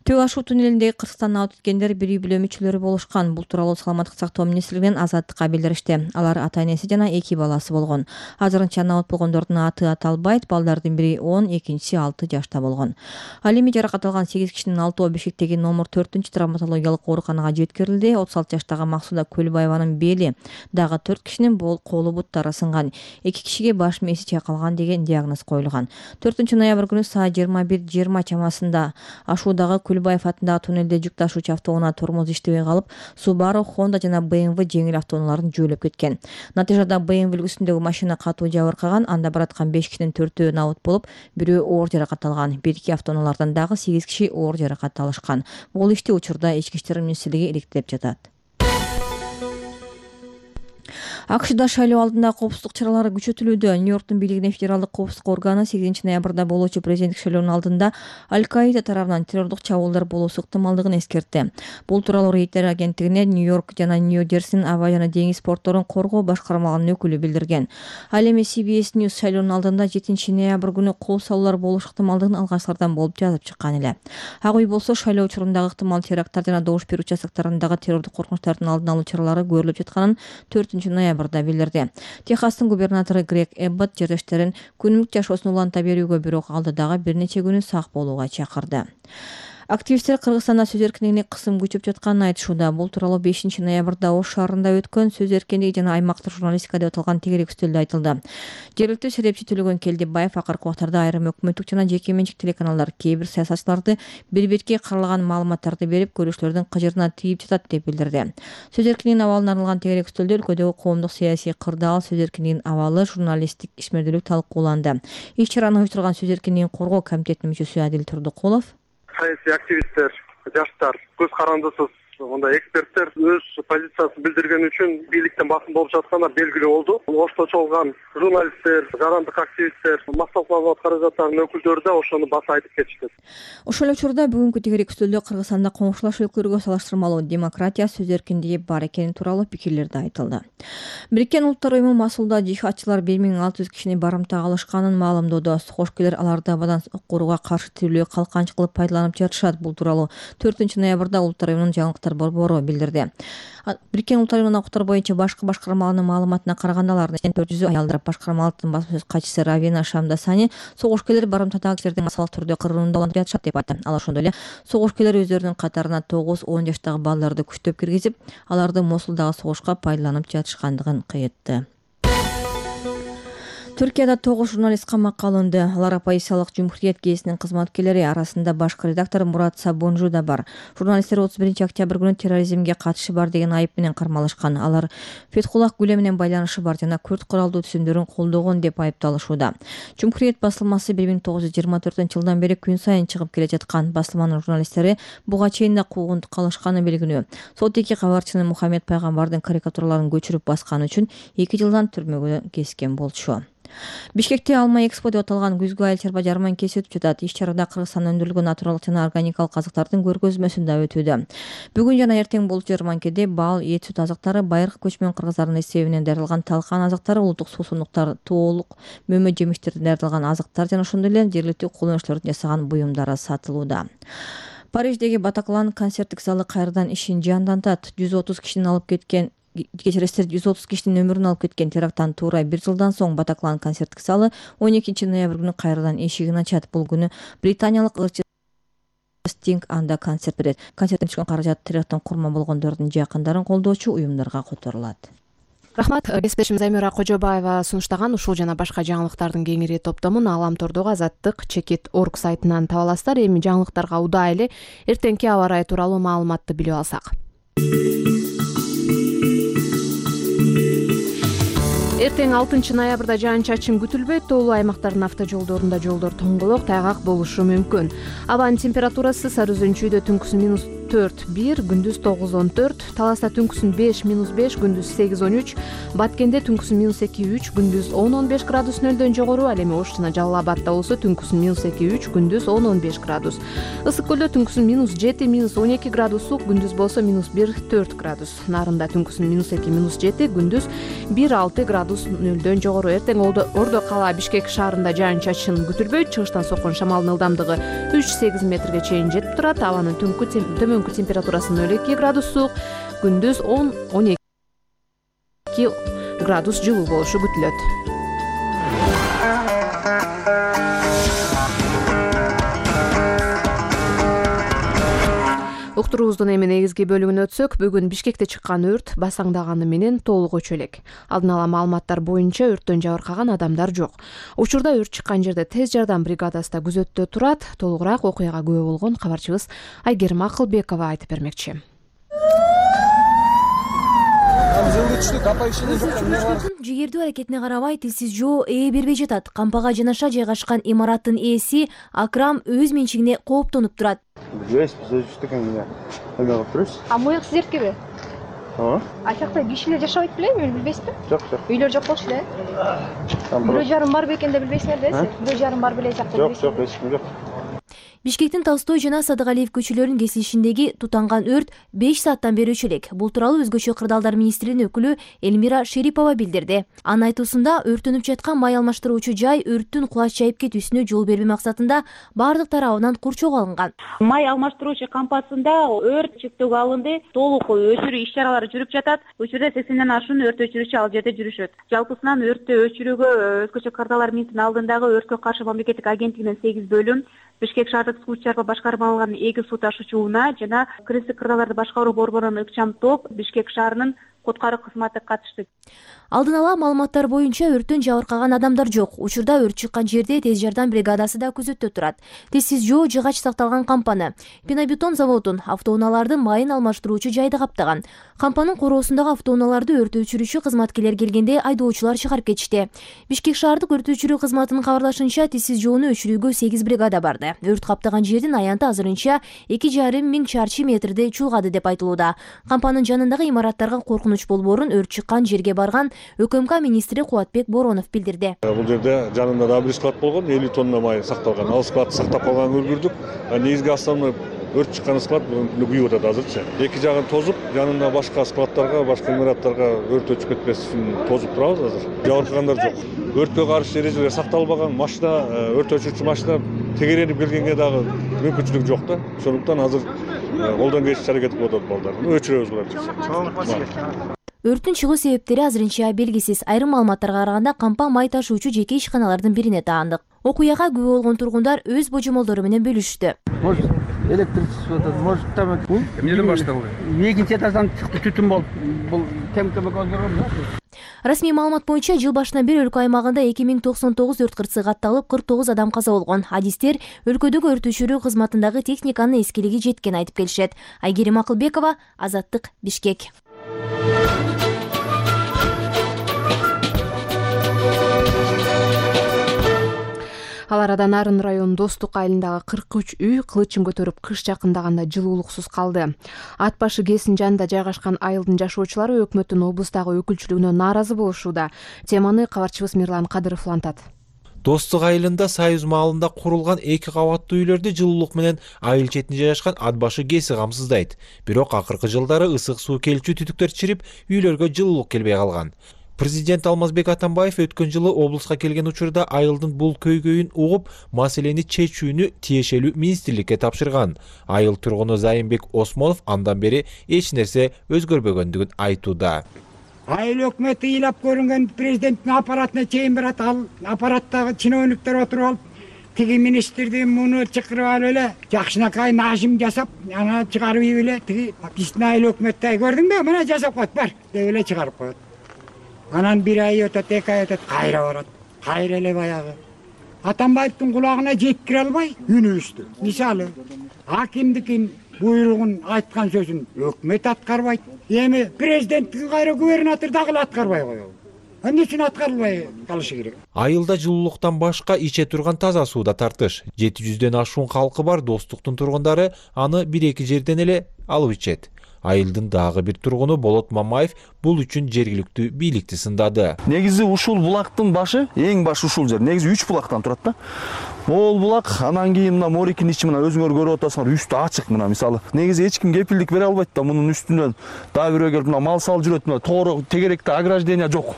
Төө ашуу туннелиндеги Кыргызстандан алып өткендер бир үй бүлө мүчөлөрү болушкан. Бул тууралуу саламаттык сактоо министрлигинен Азаттыкка билдиришти. Алар ата-энеси жана 2 баласы болгон. Азырынча набат болгондордун аты аталбайт. Балдардын бири 10, экинчиси 6 жашта болгон. Ал эми жаракат алган 8 кишинин 6-оо Бишкектеги номер 4-травматологиялык ооруканага жеткирилди. 36 жаштагы Максуда Көлбаеванын бели, дагы 4 кишинин колу буттары сынган. 2 кишиге баш мээси чайкалган деген диагноз коюлган. 4 ноябрь күнү саат 21:20 чамасында Ашуудагы Көлбаев атындагы туннелде жүк ташуучу автоунаа тормоз иштебей калып, Subaru, Honda жана BMW жеңил автоунааларын жөөлөп кеткен. Натыйжада BMW үлгүсүндөгү машина катуу жабыркаган. Анда бараткан 5 кишинин 4-өө набыт болуп, бирөө оор жаракат алган. Бирки автоунаалардан дагы 8 киши оор жаракат алышкан. Бул ишти учурда Ички иштер министрлиги иликтеп жатат. АКШда шайлоо алдындагы коопсуздук чаралары күчөтүлүүдө. Нью-Йорктун бийлигинин федералдык коопсуздук органы 8 ноябрда болуучу президенттик шайлоонун алдында Аль-Каида тарабынан террордук чабуулдар болуусу ыктымалдыгын эскертти. Бул тууралуу Рейтер агенттигине Нью-Йорк жана Нью-Джерсинин аба жана деңиз портторун коргоо башкармалыгынын өкүлү билдирген. Ал эми CBS News шайлоонун алдында 7 ноябрь күнү кол салуулар болуш ыктымалдыгын алгачкылардан болуп жазып чыккан эле. Ак үй болсо шайлоо учурундагы ыктымал теракттар жана добуш берүү участоктарындагы террордук коркунучтардын алдын алуу чаралары көрүлүп жатканын 4 ноябрда билдирди. Техастын губернатору Грег Эббот жертештерин күнүмдүк жашоосун уланта берүүгө, бирок алдыдагы бир нече күнү сак болууга чакырды. Активисттер Кыргызстанда сөз эркиндигине кысым күчөп жатканын айтышууда. Бул тууралуу 5 ноябрда Ош шаарында өткөн сөз эркиндиги жана аймактык журналистика деп аталган тегерек үстөлдө айтылды. Жергиликтүү серепчи Төлөгөн Келдибаев акыркы убактарда айрым өкмөттүк жана жеке менчик телеканалдар кээ бир саясатчыларды бир бетке каралаган маалыматтарды берип, көрүүчүлөрдүн кыжырына тийип жатат деп билдирди. Сөз эркиндигинин абалына арналган тегерек үстөлдө өлкөдөгү коомдук саясий кырдаал, сөз эркиндигинин абалы, журналисттик ишмердүүлүк талкууланды. Иш-чараны уюштурган сөз эркиндигин коргоо комитетинин мүчөсү Адил Турдукулов саясий активисттер, жаштар, көз карандысыз мындай эксперттер өз позициясын билдирген үчүн бийликтен басым болуп жатканы белгилүү болду. Ошто чогулган журналисттер, жарандык активисттер, массалык маалымат каражаттарынын өкүлдөрү да ошону баса айтып кетишти. Ошол эле учурда бүгүнкү тегерек үстөлдө Кыргызстанда коңшулаш өлкөлөргө салыштырмалуу демократия, сөз эркиндиги бар экени тууралуу пикирлер да айтылды. Бириккен Улуттар уюму Масулда жихадчылар 1600 кишини барымтага алышканын маалымдоодо. Сокуш-келер аларды абадан курууга каршы тирүүлөө калканчы кылып пайдаланып жатышат. Бул тууралуу 4 ноябрда Улуттар уюмунун жаңылыктар борбору билдирди. Бириккен Улуттар уюмунун укуктар боюнча башкы башкармалыгынын маалыматына караганда, алардын 400-ü аялдар. Башкармалыктын басма сөз катчысы Равина Шамдасани согуш-келер барымтадагы кишилердин массалык түрдө кырылууында улантып жатышат деп айтты. Ал ошондой эле согуш-келер өздөрүнүн катарына 9-10 жаштагы балдарды күчтөп киргизип, аларды Мосулдагы согушка пайдаланып жатышкандыгын кыйытты. Түркияда 9 журналист камакка алынды. Алар оппозициялык Cumhuriyet гезитинин кызматкерлери арасында башкы редактор Мурат Сабунжу да бар. Журналисттер 31-октябрь күнү терроризмге катышы бар деген айып менен кармалышкан. Алар Фетхуллах Гүлен менен байланышы бар жана күрд куралдуу түзүмдөрүн колдогон деп айыпталышууда. Cumhuriyet басылмасы 1924-жылдан бери күн сайын чыгып келе жаткан. Басылманын журналисттери буга чейин да куугунтукка алышканы белгилүү. Сот 2 кабарчыны Мухаммед Пайгамбардын карикатураларын көчүрүп басканы үчүн 2 жылдан түрмөгө кескен болчу. Бишкекте Алма Экспо деп аталган күзгү айыл чарба жарманкеси өтүп жатат. Иш чарада Кыргызстанда өндүрүлгөн натуралдык жана органикалык азыктардын көргөзмөсү да өтүүдө. Бүгүн жана эртең болчу жарманкеде бал, эт, сүт азыктары, байыркы көчмөн кыргыздардын эсебинен даярдалган талкан азыктары, улуттук суусундуктар, тоолук мөмө жемиштерден даярдалган азыктар жана ошондой эле жергиликтүү колдонуучулардын жасаган буюмдары сатылууда. Париждеги Батаклан концерттик залы кайрадан ишин жандантат. 130 кишинин алып кеткен 130 кишинин өмүрүн алып кеткен теракттан туура 1 жылдан соң Батаклан концерттик залы 12 ноябрь күнү кайрадан эшигин ачат. Бул күнү британиялык ырчы Стинг анда концерт берет. Концерттен түшкөн каражат теракттын курман болгондордун жакындарын колдоочу уюмдарга которулат. Рахмат. Кесиптешим Замира Кожобаева сунуштаган ушул жана башка жаңылыктардын кеңири топтомун Аламтордогу Азаттык чекит орг сайтынан таба аласыздар. Эми жаңылыктарга удаай эле эртеңки аба ырайы тууралуу маалыматты билип алсак. Эртең 6 ноябрда жаан-чачын күтүлбөйт. Тоолуу аймактардын автожолдорунда жолдор тоңголок, тайгак болушу мүмкүн. Абанын температурасы Сары Өзөнчүйдө түнкүсүн -4-1, күндүз 9-14, Таласта түнкүсүн 5-5, күндүз 8-13, Баткенде түнкүсүн -2-3, күндүз 10-15 градус нөлдөн жогору. Ал эми Ош жана Жалал Абадта болсо түнкүсүн -2-3, күндүз 10-15 градус. Ысык Көлдө түнкүсүн -7, -12 градус суук, күндүз болсо -1-4 градус. Нарында түнкүсүн -2, -7, күндүз 1-6 градус нөлдөн жогору. Эртең Ордо кала Бишкек шаарында жаан-чачын күтүлбөйт. Чыгыштан соккон шамалдын ылдамдыгы 3-8 метрге чейин жетип турат. Абанын төмөнкү температурасы 0-2 градус суук, күндүз 10-12 градус жылуу болушу күтүлөт. Уктуруубуздун эми негизги бөлүгүнө өтсөк, бүгүн Бишкекте чыккан өрт басаңдаганы менен толук өчө элек. Алдын ала маалыматтар боюнча өрттөн жабыркаган адамдар жок. Учурда өрт чыккан жерде тез жардам бригадасы да күзөттө турат. Толугураак окуяга күбө болгон кабарчыбыз Айгерим Акылбекова айтып бермекчи. Жигердүү аракетине карабай тилсиз жоо ээ бербей жатат. Кампага жанаша жайгашкан имараттын ээси Акрам өз менчигине кооптонуп турат. Биз өзүбүздүк эме кылып турабыз. Моюк сиздеркиби? А жакта кишилер жашабайт белеби, билбейсизби? Жок. Үйлөр жок болчу да. Бирөө жарым бар бекен деп билбейсиңер да? Бирөө жарым бар беле жакта. Жок, эч ким жок. Бишкектин Толстой жана Садыгалиев көчөлөрүнүн кесилишиндеги тутанган өрт 5 сааттан бери өчө элек. Бул тууралуу Өзгөчө кырдаалдар министринин өкүлү Элмира Шерипова билдирди. Анын айтуусунда өрттөнүп жаткан май алмаштыруучу жай өрттүн кулач жайып кетүүсүнө жол бербөө максатында бардык тарабынан курчоого алынган. Май алмаштыруучу кампасында өрт чектөөгө алынды. Толук өчүрүү иш чаралары жүрүп жатат. Учурда 80ден ашуун өрт өчүрүүчү ал жерде жүрүшөт. Жалпысынан өрттү өчүрүүгө Өзгөчө кырдаалдар министринин алдындагы өрткө каршы мамлекеттик агенттигинен 8 бөлүм, Бишкек шаардык суу чарба башкармалыгынын эки суу ташуучу унаа жана кыргызстык кырдаалдарды башкаруу борборунун ыкчам топ Бишкек шаарынын куткаруу кызматы катышты. Алдын ала маалыматтар боюнча өрттөн жабыркаган адамдар жок. Учурда өрт чыккан жерде тез жардам бригадасы да күзөттө турат. Тезсиз жоо жыгач сакталган кампаны, пенобетон заводун, автоунаалардын майын алмаштыруучу жайды каптаган. Кампанын короосундагы автоунааларды өрт өчүрүүчү кызматкерлер келгенде айдоочулар чыгарып кетишти. Бишкек шаардык өрт өчүрүү кызматынын кабарлашынча тезсиз жоону өчүрүүгө 8 бригада барды. Өрт каптаган жердин аянты азырынча 2,5 миң чарчы метрди чулгады деп айтылууда. Кампанын жанындагы имараттарга коркунуч болбоорун өрт чыккан жерге барган ÖKМK министри Кубатбек Боронов билдирди. Бул жерде жанында да бир склад болгон, 50 тонна май сакталган. Ал складты сактап калганын көргүлдүк. Негизги основной өрт чыккан склад күйүп атат азырчы. Эки жагын тозуп, жанында башка складтарга, башка имараттарга өрт өчүп кетпес үчүн тозуп турабыз азыр. Жабыркагандар жок. Өрткө каршы эрежелер сакталбаган, машина, өрт өчүрүүчү машина тегеренип келгенге дагы мүмкүнчүлүк жок да. Ошондуктан азыр колдон келишинче аракет кылып атат балдар. Өчүрөбүз буларды. Өрттүн чыгуу себептери азырынча белгисиз. Айрым маалыматтарга караганда кампа май ташуучу жеке ишканалардын бирине таандык. Окуяга күбө болгон тургундар өз божомолдору менен бөлүштү. Может, электричество, может, там эмнеден башталды? Экинчи этаждан чыкты, түтүн болуп, бул темке Расмий маалымат боюнча жыл башынан бери өлкө аймагында 2099 өрт кырсыгы катталып 49 адам каза болгон. Адистер өлкөдөгү өрт өчүрүү кызматындагы техниканын эскилиги жеткени айтып келишет. Айгерим Акылбекова, Азаттык, Бишкек. Ал арада Нарын районунун Достук айылындагы 43 үй кылычын көтөрүп кыш жакындаганда жылуулуксуз калды. Ат башы КЭСинин жанында жайгашкан айылдын жашоочулары өкмөттүн облустагы өкүлчүлүгүнө нааразы болушууда. Теманы кабарчыбыз Мирлан Кадыров улантат. Достук айылында Союз маалында курулган 2 кабаттуу үйлөрдү жылуулук менен айыл четинде жайгашкан ат башы КЭСи камсыздайт. Бирок акыркы жылдары ысык суу келчү түтүктөр чирип, үйлөргө жылуулук келбей калган. Президент Алмазбек Атамбаев өткөн жылы облуска келген учурда айылдын бул көйгөйүн угуп, маселени чечүүнү тиешелүү министрликке тапшырган. Айыл тургуну Зайымбек Осмонов андан бери эч нерсе өзгөрбөгөндүгүн айтууда. Айыл өкмөтү ыйлап көрүнгөн президенттин аппаратына чейин барат, ал аппараттагы чиновниктер отуруп алып, тиги министрди муну чакырып алып эле жакшынакай нажим жасап, ана чыгарып эле тиги биздин айыл өкмөттү көрдүңбү, мына жасап коет бар деп эле чыгарып коет. Анан 1 ай өтөт, 2 ай өтөт, кайра барат. Кайра эле баягы. Атамбаевдин кулагына жеткире албай үнүбүздү. Мисалы, акимдикин буйругун айткан сөзүн өкмөт аткарбайт. Эми президенттин кайра губернатор дагы аткарбай коёбу. Эмне үчүн аткарылбай калышы керек? Айылда жылуулуктан башка иче турган таза сууда тартыш. 700дөн ашуун калкы бар Достуктун тургундары аны 1-2 жерден эле алып ичет. Айылдын дагы бир тургуну Болот Мамаев бул үчүн жергиликтүү бийликти сындады. Негизи ушул булактын башы, эң башы ушул жер. Негизи 3 булактан турат да. Ол булак, анан кийин мына Морикин ичи мына өзүңөр көрүп атасыңар, үстү ачык мына мисалы. Негизи эч ким кепилдик бере албайт да, мунун үстүнөн дагы бирөө келип мына мал салып жүрөт, мына тоору тегеректе ограждение жок.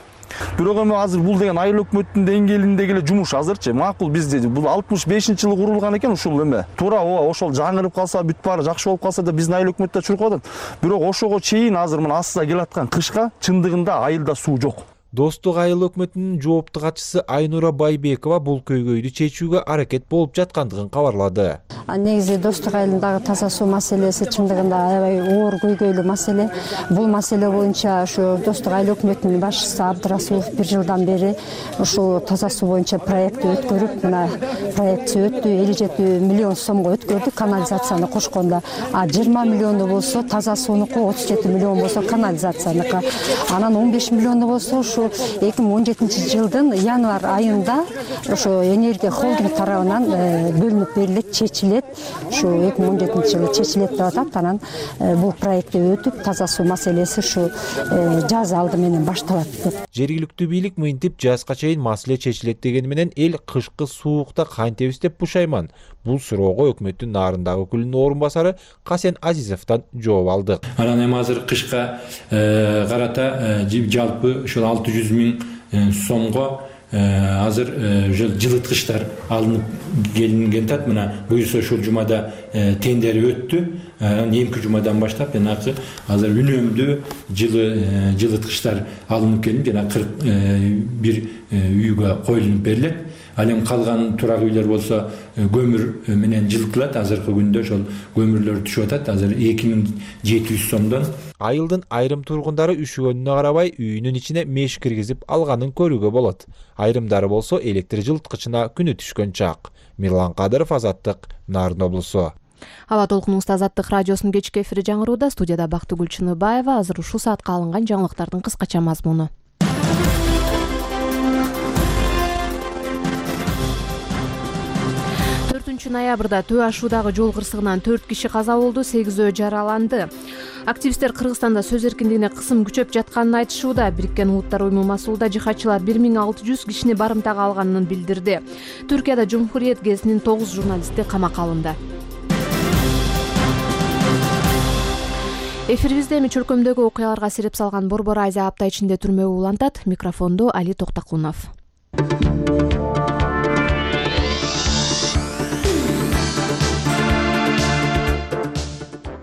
Бирок эми азыр бул деген айыл өкмөттүн деңгээлиндеги эле жумуш азырчы. Макул бизде бул 65-жылы курулган экен ушул эме. Туура ошол жаңырып калса, бүт баары жакшы болуп калса да биздин айыл өкмөттө чуркап атат. Бирок ошого чейин азыр мына асса келаткан кышка чындыгында айылда суу жок. Достук айыл өкмөтүнүн жоопту катчысы Айнура Байбекова бул көйгөйдү чечүүгө аракет болуп жаткандыгын кабарлады. Негизи Достук айылындагы таза суу маселеси чындыгында аябай оор көйгөйлүү маселе. Бул маселе боюнча ушу Достук айыл өкмөтүнүн башчысы Абдырасулов 1 жылдан бери ушул таза суу боюнча проектти өткөрүп, мына проектти өттү, 57 миллион сомго өткөрдү канализацияны кошкондо. 20 миллиону болсо таза суунуку, 37 миллион болсо канализацияныкы. Анан 15 миллиону болсо 2017 жылдын январь айында ошо энергия холдинг тарабынан бөлүнүп берилет, чечилет. Ушу 2017 жылы чечилет деп атат. Анан бул проектти өтүп, таза суу маселеси ушу жаз алды менен башталат деп. Жергиликтүү бийлик мынтип жазга чейин маселе чечилет дегени менен эл кышкы суукта кантебиз деп пушайман. Бул суроого өкмөттүн Нарындагы өкүлүнүн орун басары Касен Азизовдон жооп алдык. Анан эми азыр кышка карата жалпы ушул 600 миң сомго азыр жылыткычтар алынып келинген тат. Мына буюрса ушул жумада тендери өттү. Эмки жумадан баштап жанагы азыр үнөмдүү жылыткычтар алынып келип жана 41 үйгө коюлуп берилет. Ал эми калган турак үйлөр болсо көмүр менен жылытылат. Азыркы күндө ошол көмүрлөр түшүп атат. Азыр 2700 сомдон. Айылдын айрым тургундары üşүгөнүнө карабай үйүнүн ичине меш киргизип алганын көрүүгө болот. Айрымдары болсо электр жылыткычына күнү түшкөн чак. Мирлан Кадыров, Азаттык, Нарын облусу. Аба толкунуңузда Азаттык радиосунун кечки эфири жаңырууда. Студияда Бактыгүл Чыныбаева. Азыр ушул саатка алынган жаңылыктардын кыскача мазмуну. 4 ноябрда Төө ашуудагы жол кырсыгынан 4 киши каза болду, 8 жараланды. Активисттер Кыргызстанда сөз эркиндигине кысым күчөп жатканын айтышууда. Бириккен Улуттар уюму масулда жихадчылар 1600 кишини барымтага алганын билдирди. Түркияда Жумхуриет гезитинин 9 журналисти камакка алынды. Эфирибизде эми чөлкөмдөгү окуяларга сереп салган Борбор Азия апта ичинде түрмөгө улантат. Микрофондо Али Токтакунов.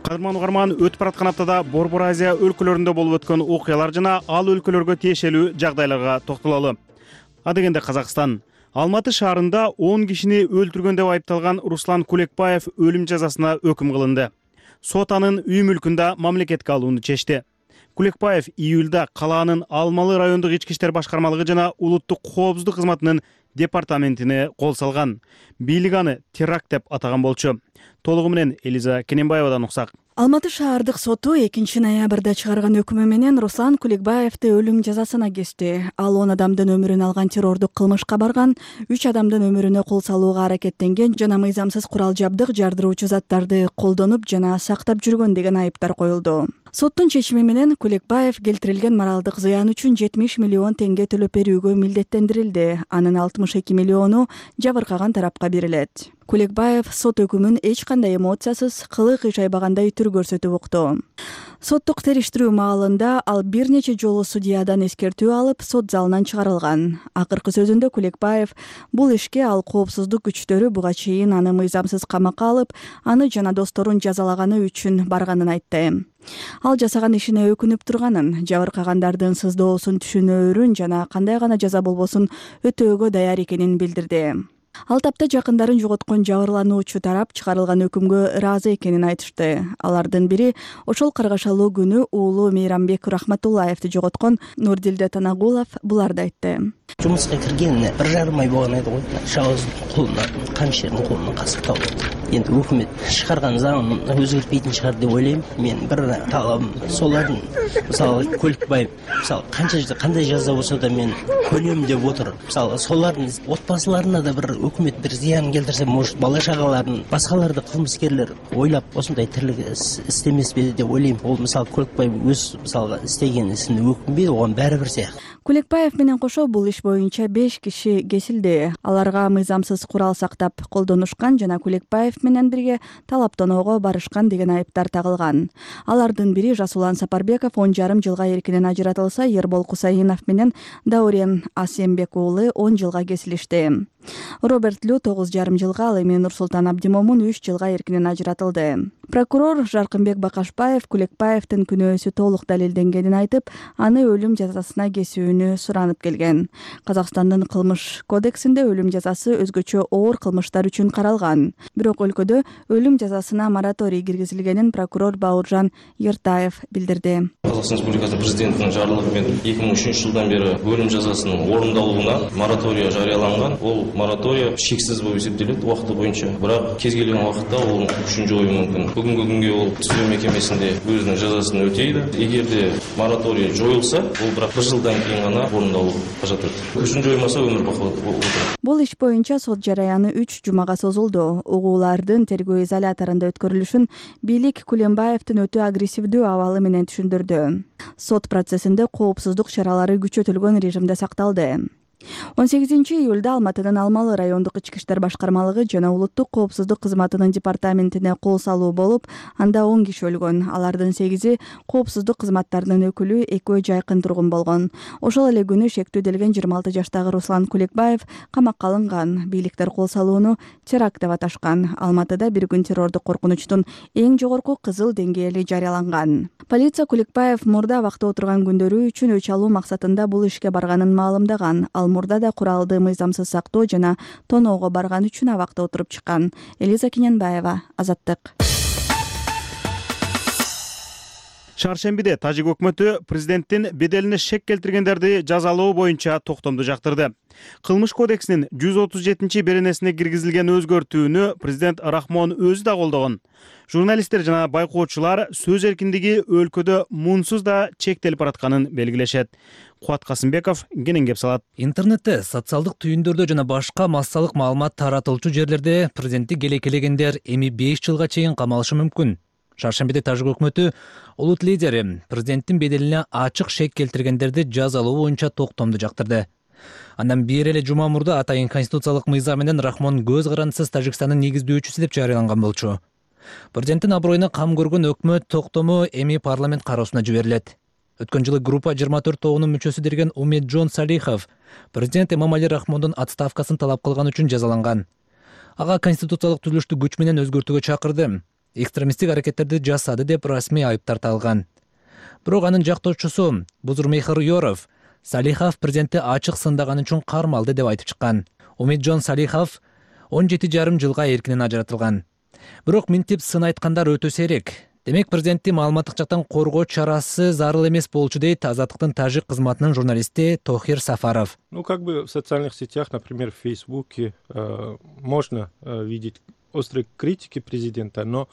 Кадырман угарман, өтүп бараткан аптада Борбор Азия өлкөлөрүндө болуп өткөн окуялар жана ал өлкөлөргө тиешелүү жагдайларга токтололу. Адегенде Казакстан Алматы шаарында 10 кишини өлтүргөн деп айыпталган Руслан Кулекбаев өлүм жазасына өкүм кылынды. Сот анын үй мүлкүндө мамлекетке алууну чечти. Кулекбаев июлда калаанын Алмалы райондук ички иштер башкармалыгы жана улуттук коопсуздук кызматынын департаментине кол салган. Бийлик аны теракт деп атаган болчу. Толугу менен Элиза Кененбаевадан уксак. Алматы шаардык соту 2 ноябрда чыгарган өкүмү менен Руслан Куликбаевди өлүм жазасына кести. Ал 10 адамдын өмүрүн алган террордук кылмышка барган, 3 адамдын өмүрүнө кол салууга аракеттенген жана мыйзамсыз курал жабдык, жардыруучу заттарды колдонуп жана сактап жүргөн деген айыптар коюлду. Соттун чечими менен Куликбаев келтирилген моралдык зыян үчүн 70 миллион теңге төлөп берүүгө милдеттендирилди. Анын 62 миллиону жабыркаган тарапка берилет. Куликбаев сот өкүмүн эч кандай эмоциясыз, кылык иш айбагандай түр көрсөтүп укту. Соттук териштирүү маалында ал бир нече жолу судьядан эскертүү алып, сот залынан чыгарылган. Акыркы сөзүндө Куликбаев бул ишке ал коопсуздук күчтөрү буга чейин аны мыйзамсыз камакка алып, аны жана досторун жазалаганы үчүн барганын айтты. Ал жасаган ишине өкүнүп турганын, жабыркагандардын сыздоосун түшүнөөрүн жана кандай гана жаза болбосун өтөөгө даяр экенин билдирди. Ал тапта жакындарын жоготкон жабырлануучу тарап чыгарылган өкүмгө ыраазы экенин айтышты. Алардын бири ошол каргашалуу күнү уулу Мейрамбек Рахматуллаевди жоготкон Нурдилде Танагулов буларды айтты. Жумушка киргенине 1,5 ай болгон эди го. Шабыздын колуна, камшердин колуна касыктап отур. Энди өкмөт чыгарган заңын өзгөртпейтин чыгар деп ойлойм. Мен бир талабым солардын, мисалы Куликбаев, мисалы кандай жаза болсо да мен көнөм деп отур. Мисалы солардын отбасыларына да бир өкмөт бир зыян келтирсе, может бала чагаларын, башкаларды кылмыскерлер ойлап осундай тирлик истемеспи деп ойлойм. Ол мисалы Куликбаев өз мисалы истеген исин өкүнбөйт, огон баары бир сыяк. Куликбаев менен кошо бул иш боюнча 5 киши кесилди. Аларга мыйзамсыз курал сактап колдонушкан жана Куликбаев менен бирге талаптоноого барышкан деген айыптар тагылган. Алардын бири Жасулан Сапарбеков 10,5 жылга эркинен ажыратылса, Ербол Кусаинов менен Даурен Асембек уулу 10 жылга кесилишти. Роберт Лю 9,5 жылга, ал эми Нурсултан Абдимомун 3 жылга эркинен ажыратылды. Прокурор Жаркынбек Бакашбаев Куликбаевдин күнөөсү толук далилденгенин айтып, аны өлүм жазасына кесүүнү суранып келген. Казакстандын кылмыш кодексинде өлүм жазасы өзгөчө оор кылмыштар үчүн каралган. Бирок өлкөдө өлүм жазасына мораторий киргизилгенин прокурор Бауыржан Ертаев билдирди. Казакстан Республикасы президентинин жарлыгы менен 2003 жылдан бери өлүм жазасынын орундалууна мораторий жарыяланган. Ол мораторий шексиз болуп эсептелет убакыты боюнча. Бирок кез келген убакытта ол күчүн жою мүмкүн. Бүгүнкү күнгө ол түзөө мекемесинде өзүнүн жазасын өтөйдү. Эгерде мораторий жоюлса, ол бирок 1 жылдан кийин гана орундалуу кажат. Күчүн жоймаса өмүр бакы отурат. Бул иш боюнча сот жараяны 3 жумага созулду. Угуулардын тергөө изоляторунда өткөрүлүшүн бийлик Кулембаевдин өтө агрессивдүү абалы менен түшүндүрдү. Сот процессинде коопсуздук чаралары күчөтүлгөн режимде сакталды. 18 июлда Алматынын Алмалы райондук ички иштер башкармалыгы жана улуттук коопсуздук кызматынын департаментине кол салуу болуп, анда 10 киши өлгөн. Алардын 8-и коопсуздук кызматтарынын өкүлү, экөө жайкын тургун болгон. Ошол эле күнү шектүүделген 26 жаштагы Руслан Куликбаев камакка алынган. Бийликтер кол салууну теракт деп аташкан. Алматыда бир күн террордук коркунучтун эң жогорку кызыл деңгээли жарыяланган. Полиция Куликбаев мурда абакта отурган күндөрү үчүн өч алуу максатында бул ишке барганын маалымдаган. Ал мурда да куралды мыйзамсыз сактоо жана тоноого барган үчүн абакта отуруп чыккан. Элиза Кененбаева, Азаттык. Шаршембиде Тажик өкмөтү президенттин беделине шек келтиргендерди жазалоо боюнча токтомду жактырды. Кылмыш кодексинин 137-беренесине киргизилген өзгөртүүнү президент Рахмон өзү да колдогон. Журналисттер жана байкоочулар сөз эркиндиги өлкөдө муунсуз да чектелип баратканын белгилешет. Кубат Касымбеков кенен кеп салат. Интернетте, социалдык түйүндөрдө жана башка массалык маалымат таратылчу жерлерде президентти келекелегендер эми 5 жылга чейин камалышы мүмкүн. Шаршембиде Тажик өкмөтү улут лидери президенттин беделине ачык шек келтиргендерди жазалоо боюнча токтомду жактырды. Андан бир эле жума мурда атайын конституциялык мыйзам менен Рахмон көз карандысыз Тажикстандын негиздөөчүсү деп жарыяланган болчу. Президенттин аброюна кам көргөн өкмөт токтому эми парламент кароосуна жиберилет. Өткөн жылы группа 24 тобунун мүчөсү деген Умеджон Салихов президент Эмомали Рахмондун отставкасын талап кылган үчүн жазаланган. Ага конституциялык түзүлүштү күч менен өзгөртүүгө чакырды. Экстремисттик аракеттерди жасады деп расмий айыптар тагылган. Бирок анын жактоочусу Бузурмейхер Йоров Салихов президентти ачык сындаганы үчүн кармалды деп айтып чыккан. Умеджон Салихов 17,5 жылга эркинен ажыратылган. Бирок минтип сын айткандар өтө сейрек. Демек президентти маалыматтык жактан коргоо чарасы зарыл эмес болчу дейт Азаттыктын тажик кызматынын журналисти Тохир Сафаров. Как бы в социальных сетях, например, в Фейсбуке, можно видеть острые критики президента, но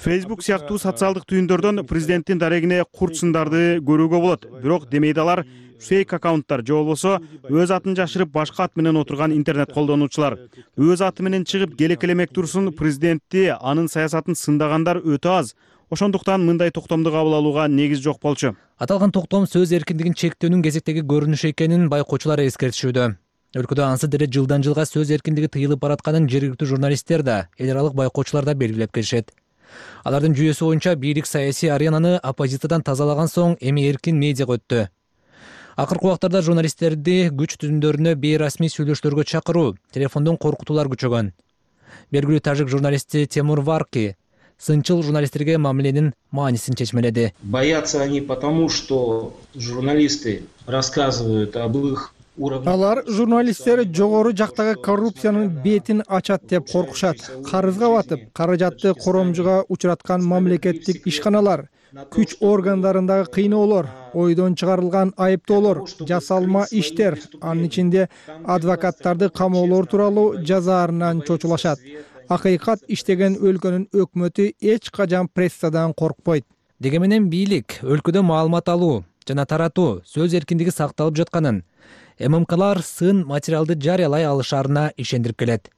Facebook сыяктуу социалдык түйүндөрдөн президенттин дарегине курт сындарды көрүүгө болот. Бирок демейди алар фейк аккаунттар же болбосо өз атын жашырып башка ат менен отурган интернет колдонуучулар. Өз аты менен чыгып келекелемек турсун президентти, анын саясатын сындагандар өтө аз. Ошондуктан мындай токтомду кабыл алууга негиз жок болчу. Аталган токтом сөз эркиндигин чектөөнүн кезектеги көрүнүшү экенин байкоочулар эскертишүүдө. Өлкөдө ансыз деле жылдан жылга сөз эркиндиги тыйылып баратканын жергиликтүү журналисттер да, эл аралык байкоочулар да белгилеп келишет. Алардын жүйөсү боюнча бийлик саясий аренаны оппозициядан тазалаган соң эми эркин медиага өттү. Акыркы убактарда журналисттерди күч түзүмдөрүнө бейрасмий сүйлөшүүлөргө чакыруу, телефондон коркутуулар күчөгөн. Белгилүү тажик журналисти Темур Варки сынчыл журналисттерге мамиленин маанисин чечмеледи. Боятся они потому, что журналисты рассказывают об их Алар журналисттер жогору жактагы коррупциянын бетин ачат деп коркушат. Карызга батып, каражатты коромжуга учураткан мамлекеттик ишканалар, күч органдарындагы кыйноолор, ойдон чыгарылган айыптоолор, жасалма иштер, анын ичинде адвокаттарды камоолор тууралуу жазаарынан чочулашат. Акыйкат иштеген өлкөнүн өкмөтү эч качан прессадан коркпойт. Деги менен бийлик өлкөдө маалымат алуу жана таратуу сөз эркиндиги сакталып жатканын, ММКлар сын материалды жарыялай алышарына ишендирип келет.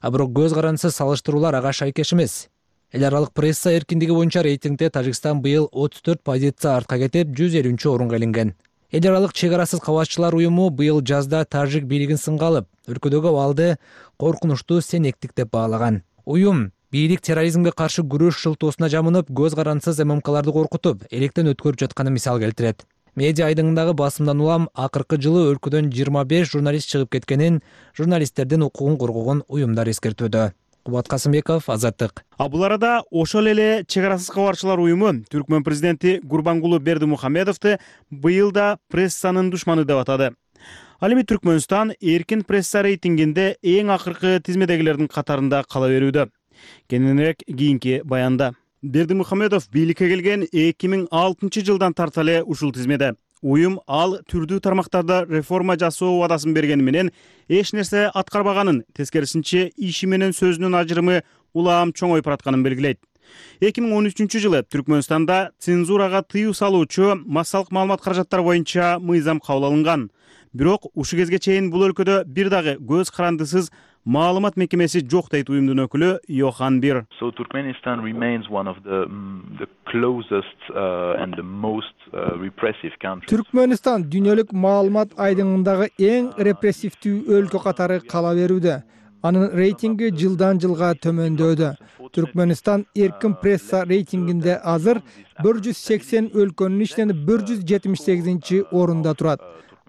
А бирок көз карандысыз салыштыруулар ага шайкеш эмес. Эл аралык пресса эркиндиги боюнча рейтингде Тажикстан быйыл 34 позиция артка кетип 150-орунга илинген. Эл аралык чек арасыз кабарчылар уюму быйыл жазда тажик бийлигин сынга алып, өлкөдөгү абалды коркунучтуу сенектик деп баалаган. Уюм бийлик терроризмге каршы күрөш шылтоосуна жамынып, көз карандысыз ММКларды коркутуп, электен өткөрүп жатканын мисал келтирет. Медиа айдыңындагы басымдан улам акыркы жылы өлкөдөн 25 журналист чыгып кеткенин, журналисттердин укугун коргогон уюмдар эскертүүдө. Кубат Касымбеков, Азаттык. Бул арада ошол эле чек арасыз кабарчылар уюму Түркмөн президенти Гурбангулу Бердимухамедовду быйыл да прессанын душманы деп атады. Ал эми Түркмөнстан эркин пресса рейтингинде эң акыркы тизмедегилердин катарында кала берүүдө. Кененирээк кийинки баянда. Бердимухамедов бийликке келген 2006 жылдан тарта эле ушул тизмеде. Уюм ал түрдүү тармактарда реформа жасоо убадасын бергени менен эч нерсе аткарбаганын, тескерисинче иши менен сөзүнүн ажырымы улам чоңоюп баратканын белгилейт. 2013 жылы Түркмөнстанда цензурага тыюу салуучу массалык маалымат каражаттары боюнча мыйзам кабыл алынган. Бирок ушу кезге чейин бул өлкөдө бир дагы көз карандысыз маалымат мекемеси жок дейт уюмдун өкүлү Йохан Бир. So Turkmenistan remains one of the closest and the most repressive countries. Түркмөнстан дүйнөлүк маалымат айдыңындагы эң репрессивдүү өлкө катары кала берүүдө. Анын рейтинги жылдан жылга төмөндөдө. Түркмөнстан эркин пресса рейтингинде азыр 180 өлкөнүн ичинен 178-орунда турат.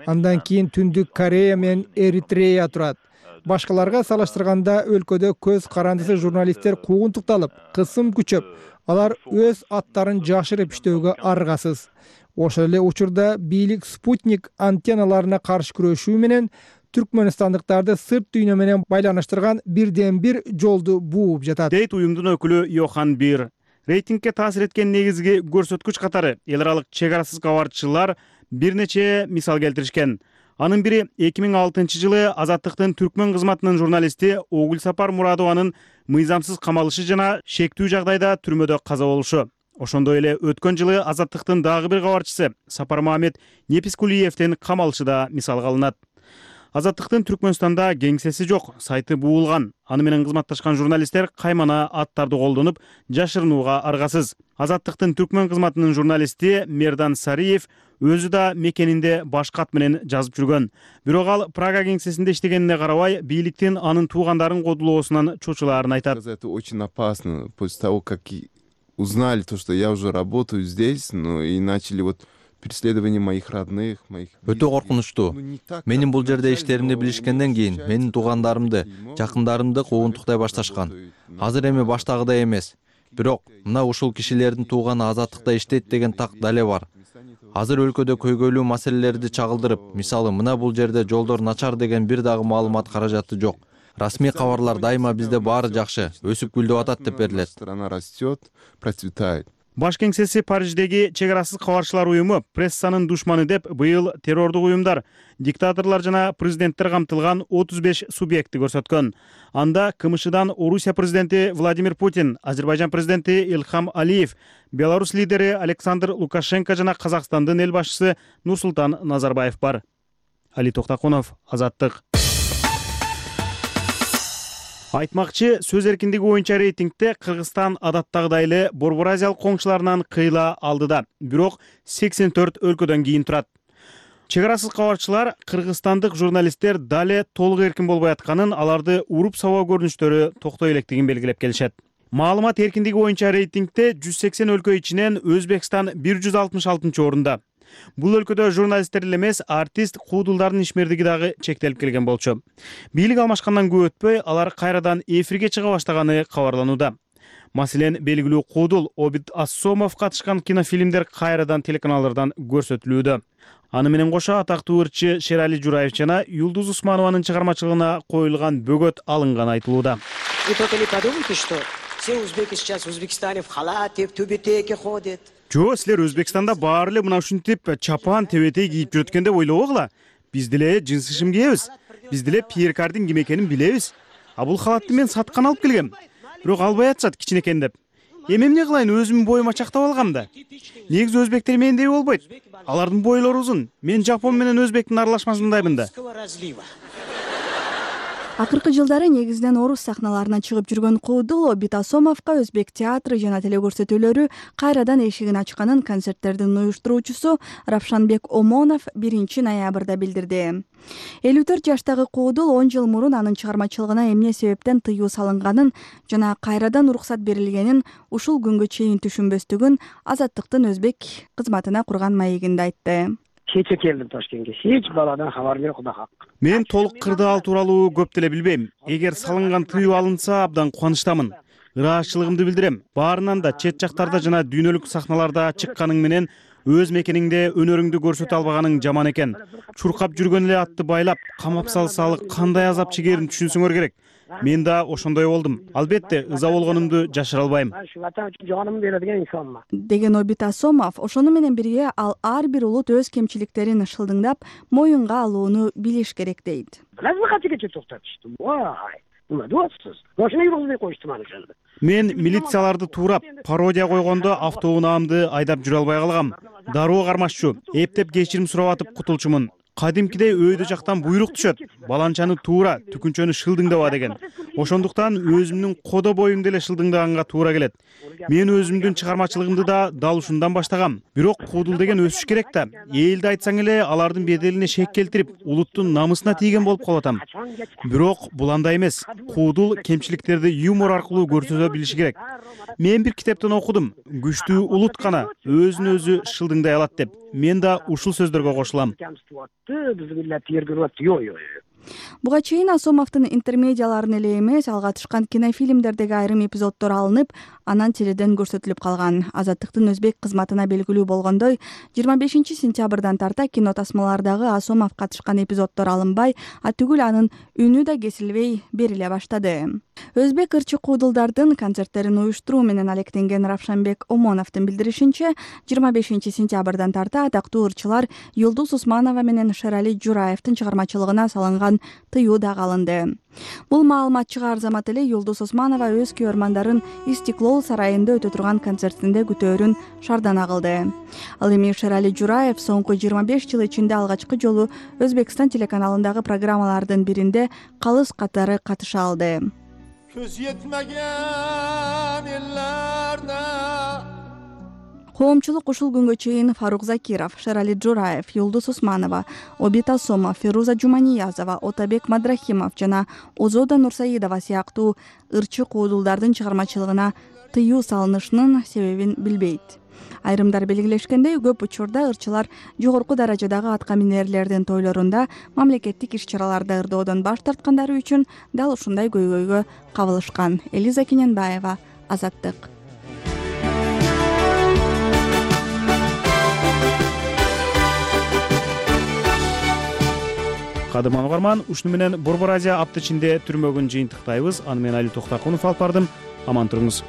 Андан кийин Түндүк Корея менен Эритрея турат. Башкаларга салыштырганда өлкөдө көз карандысыз журналисттер куугунтукталып, кысым күчөп, алар өз аттарын жашырып иштөөгө аргасыз. Ошол эле учурда бийлик спутник антенналарына каршы күрөшүү менен түркмөнстандыктарды сырт дүйнө менен байланыштырган бирден бир жолду бууп жатат. Дейт уюмдун өкүлү Йохан Бир. Рейтингге таасир эткен негизги көрсөткүч катары эл аралык чек арасыз кабарчылар бир нече мисал келтиришкен. Анын бири 2006 жылы Азаттыктын Түркмөн кызматынын журналисти Огулсапар Мурадованын мыйзамсыз камалышы жана шектүү жагдайда түрмөдө каза болушу. Ошондой эле өткөн жылы Азаттыктын дагы бир кабарчысы Сапар Мамед Непискулиевдин камалышы да мисалга алынат. Азаттыктын Түркмөнстанда кеңсеси жок, сайты буулган. Аны менен кызматташкан журналисттер каймана аттарды колдонуп, жашырынууга аргасыз. Азаттыктын Түркмөн кызматынын журналисти Мердан Сариев өзү да мекенинде башка ат менен жазып жүргөн. Бирок ал Прага кеңсесинде иштегенине карабай, бийликтин анын туугандарын кодулоосунан чочулаарын айтат. Это очень опасно после того, как узнали то, что я уже работаю здесь, и начали преследование моих родных, Өтө коркунучтуу. Менин бул жерде иштеримди билишкенден кийин менин туугандарымды, жакындарымды куугунтуктай башташкан. Азыр эми баштагыдай эмес. Бирок мына ушул кишилердин тууганы азаттыкта иштейт деген так дале бар. Азыр өлкөдө көйгөйлүү маселелерди чагылдырып, мисалы мына бул жерде жолдор начар деген бир дагы маалымат каражаты жок. Расмий кабарлар дайыма бизде баары жакшы, өсүп гүлдөп атат деп берилет. Страна растет, процветает. Баш кеңсеси Париждеги чек арасыз кабарчылар уюму прессанын душманы деп быйыл террордук уюмдар, диктаторлор жана президенттер камтылган 35 субъектти көрсөткөн. Анда КМШдан Орусия президенти Владимир Путин, Азербайжан президенти Илхам Алиев, Беларусь лидери Александр Лукашенко жана Казакстандын эл башчысы Нурсултан Назарбаев бар. Али Токтакунов, Азаттык. Айтмакчы, сөз эркиндиги боюнча рейтингде Кыргызстан адаттагыдай эле Борбор Азиялык коңшуларынан кыйла алдыда, бирок 84 өлкөдөн кийин турат. Чек арасыз кабарчылар кыргызстандык журналисттер дале толук эркин болбой атканын, аларды уруп сабоо көрүнүштөрү токтой электигин белгилеп келишет. Маалымат эркиндиги боюнча рейтингде 180 өлкө ичинен Өзбекстан 166 орунда. Бул өлкөдө журналисттер эле эмес, артист, куудулдардын ишмердиги дагы чектелип келген болчу. Бийлик алмашкандан көп өтпөй, алар кайрадан эфирге чыга баштаганы кабарланууда. Маселен, белгилүү куудул Обид Ассомов катышкан кинофильмдер кайрадан телеканалдардан көрсөтүлүүдө. Аны менен кошо атактуу ырчы Шерали Жураев жана Юлдуз Усманованын чыгармачылыгына коюлган бөгөт алынганы айтылууда. Вы только не подумайте, что все узбеки сейчас в Узбекистане в халате, в тюбетейке ходят. Жо, силер Өзбекстанда баары эле мына ушинтип чапан, тебетей кийип жүрөт экен деп ойлобогула. Биз деле жынсы шим кийебиз. Биз деле Пьер Кардин ким экенин билебиз. А бул халатты мен саткан алып келгем. Бирок албай атышат кичинекей деп. Эми эмне кылайын, өзүмдүн боюма чактап алгам да. Негизи өзбектер мендей болбойт. Алардын бойлору узун. Мен жапон менен өзбектин аралашмасындаймын да. Акыркы жылдары негизинен орус сахналарына чыгып жүргөн куудул Обид Ассомовго өзбек театры жана телекөрсөтүүлөрү кайрадан эшигин ачканын концерттердин уюштуруучусу Равшанбек Омонов 1 ноябрда билдирди. 54 жаштагы куудул 10 жыл мурун анын чыгармачылыгына эмне себептен тыюу салынганын жана кайрадан уруксат берилгенин ушул күнгө чейин түшүнбөстүгүн Азаттыктын өзбек кызматына курган маегинде айтты. Кече келдим Ташкентке. Эч баладан кабар жок, Кудай хак. Мен толук кырдаал тууралуу көп деле билбейм. Эгер салынган тыюу алынса, абдан кубанычтамын. Ыраазычылыгымды билдирем. Баарынан да чет жактарда жана дүйнөлүк сахналарда чыкканың менен өз мекениңде өнөрүңдү көрсөтө албаганың жаман экен. Чуркап жүргөн эле атты байлап, камап салсалы кандай азап чегерин түшүнсөңөр керек. Мен да ошондой болдум. Албетте, ыза болгонумду жашыра албайм. Деген Обид Ассомов, ошону менен бирге ал ар бир улут өз кемчиликтерин шылдыңдап, моюнга алууну билиш керек дейт. Мен милицияларды туурап, пародия койгондо автоунаамды айдап жүрө албай калгам. Дароо кармашчу, эптеп кечирим сурап атып кутулчумун. Кадимкидей өйдө жактан буйрук түшөт. Баланчаны туура, түкүнчөнү шылдыңдаба деген. Ошондуктан өзүмдүн кодо боюмду эле шылдыңдаганга туура келет. Мен өзүмдүн чыгармачылыгымды да дал ушундан баштагам. Бирок куудул деген өсүш керек да. Элди айтсаң эле алардын беделине шек келтирип, улуттун намысына тийген болуп калып атам. Бирок бул андай эмес. Куудул кемчиликтерди юмор аркылуу көрсөтө билиши керек. Мен бир китептен окудум. Күчтүү улут гана өзүн өзү шылдыңдай алат деп. Мен да ушул сөздөргө кошулам. Буга чейин Ассомовдун интермедиаларын эле эмес, ал катышкан кинофильмдердеги айрым эпизоддор алынып, анан теледен көрсөтүлүп калган. Азаттыктын өзбек кызматына белгилүү болгондой, 25 сентябрдан тарта кино тасмалардагы Ассомов катышкан эпизоддор алынбай, түгүл анын үнү да кесилбей бериле баштады. Өзбек ырчы куудулдардын концерттерин уюштуруу менен алектенген Равшанбек Омоновдун билдиришинче, 25 сентябрдан тарта атактуу ырчылар Юлдуз Усманова менен Шерали Жураевдин чыгармачылыгына салынган тыюу да алынды. Бул маалымат чыгаар замат эле Юлдуз Усманова өз күйөрмандарын Истиклол сарайында өтө турган концертинде күтөөрүн шардана кылды. Ал эми Шерали Жураев соңку 25 жыл ичинде алгачкы жолу Өзбекстан телеканалындагы программалардын биринде калыс катары катыша алды. Көз етмеген еллерде. Коомчулук ушул күнгө чейин Фарук Закиров, Шерали Жураев, Юлдуз Усманова, Обид Ассомов, Фируза Жуманиязова, Отабек Мадрахимов жана Озода Нурсаидова сыяктуу ырчы куудулдардын чыгармачылыгына тыюу салынышынын себебин билбейт. Айрымдар белгилешкендей, көп учурда ырчылар жогорку даражадагы атка минерлердин тойлорунда мамлекеттик иш-чараларда ырдоодон баш тарткандары үчүн дал ушундай көйгөйгө кабылышкан. Элиза Кененбаева, Азаттык. Кадырман угарман, ушуну менен Борбор Азия апта ичинде түрмөгүн жыйынтыктайбыз. Аны менен Али Токтакунов алып бардым. Аман туруңуз.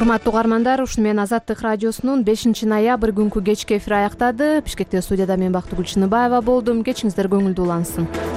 урматтуу угармандар, ушуну менен Азаттык радиосунун 5-ноябрь күнкү кечки эфири аяктады. Бишкектеги студияда мен Бактыгүл Чыныбаева болдум. Кечиңиздер көңүлдүү улансын.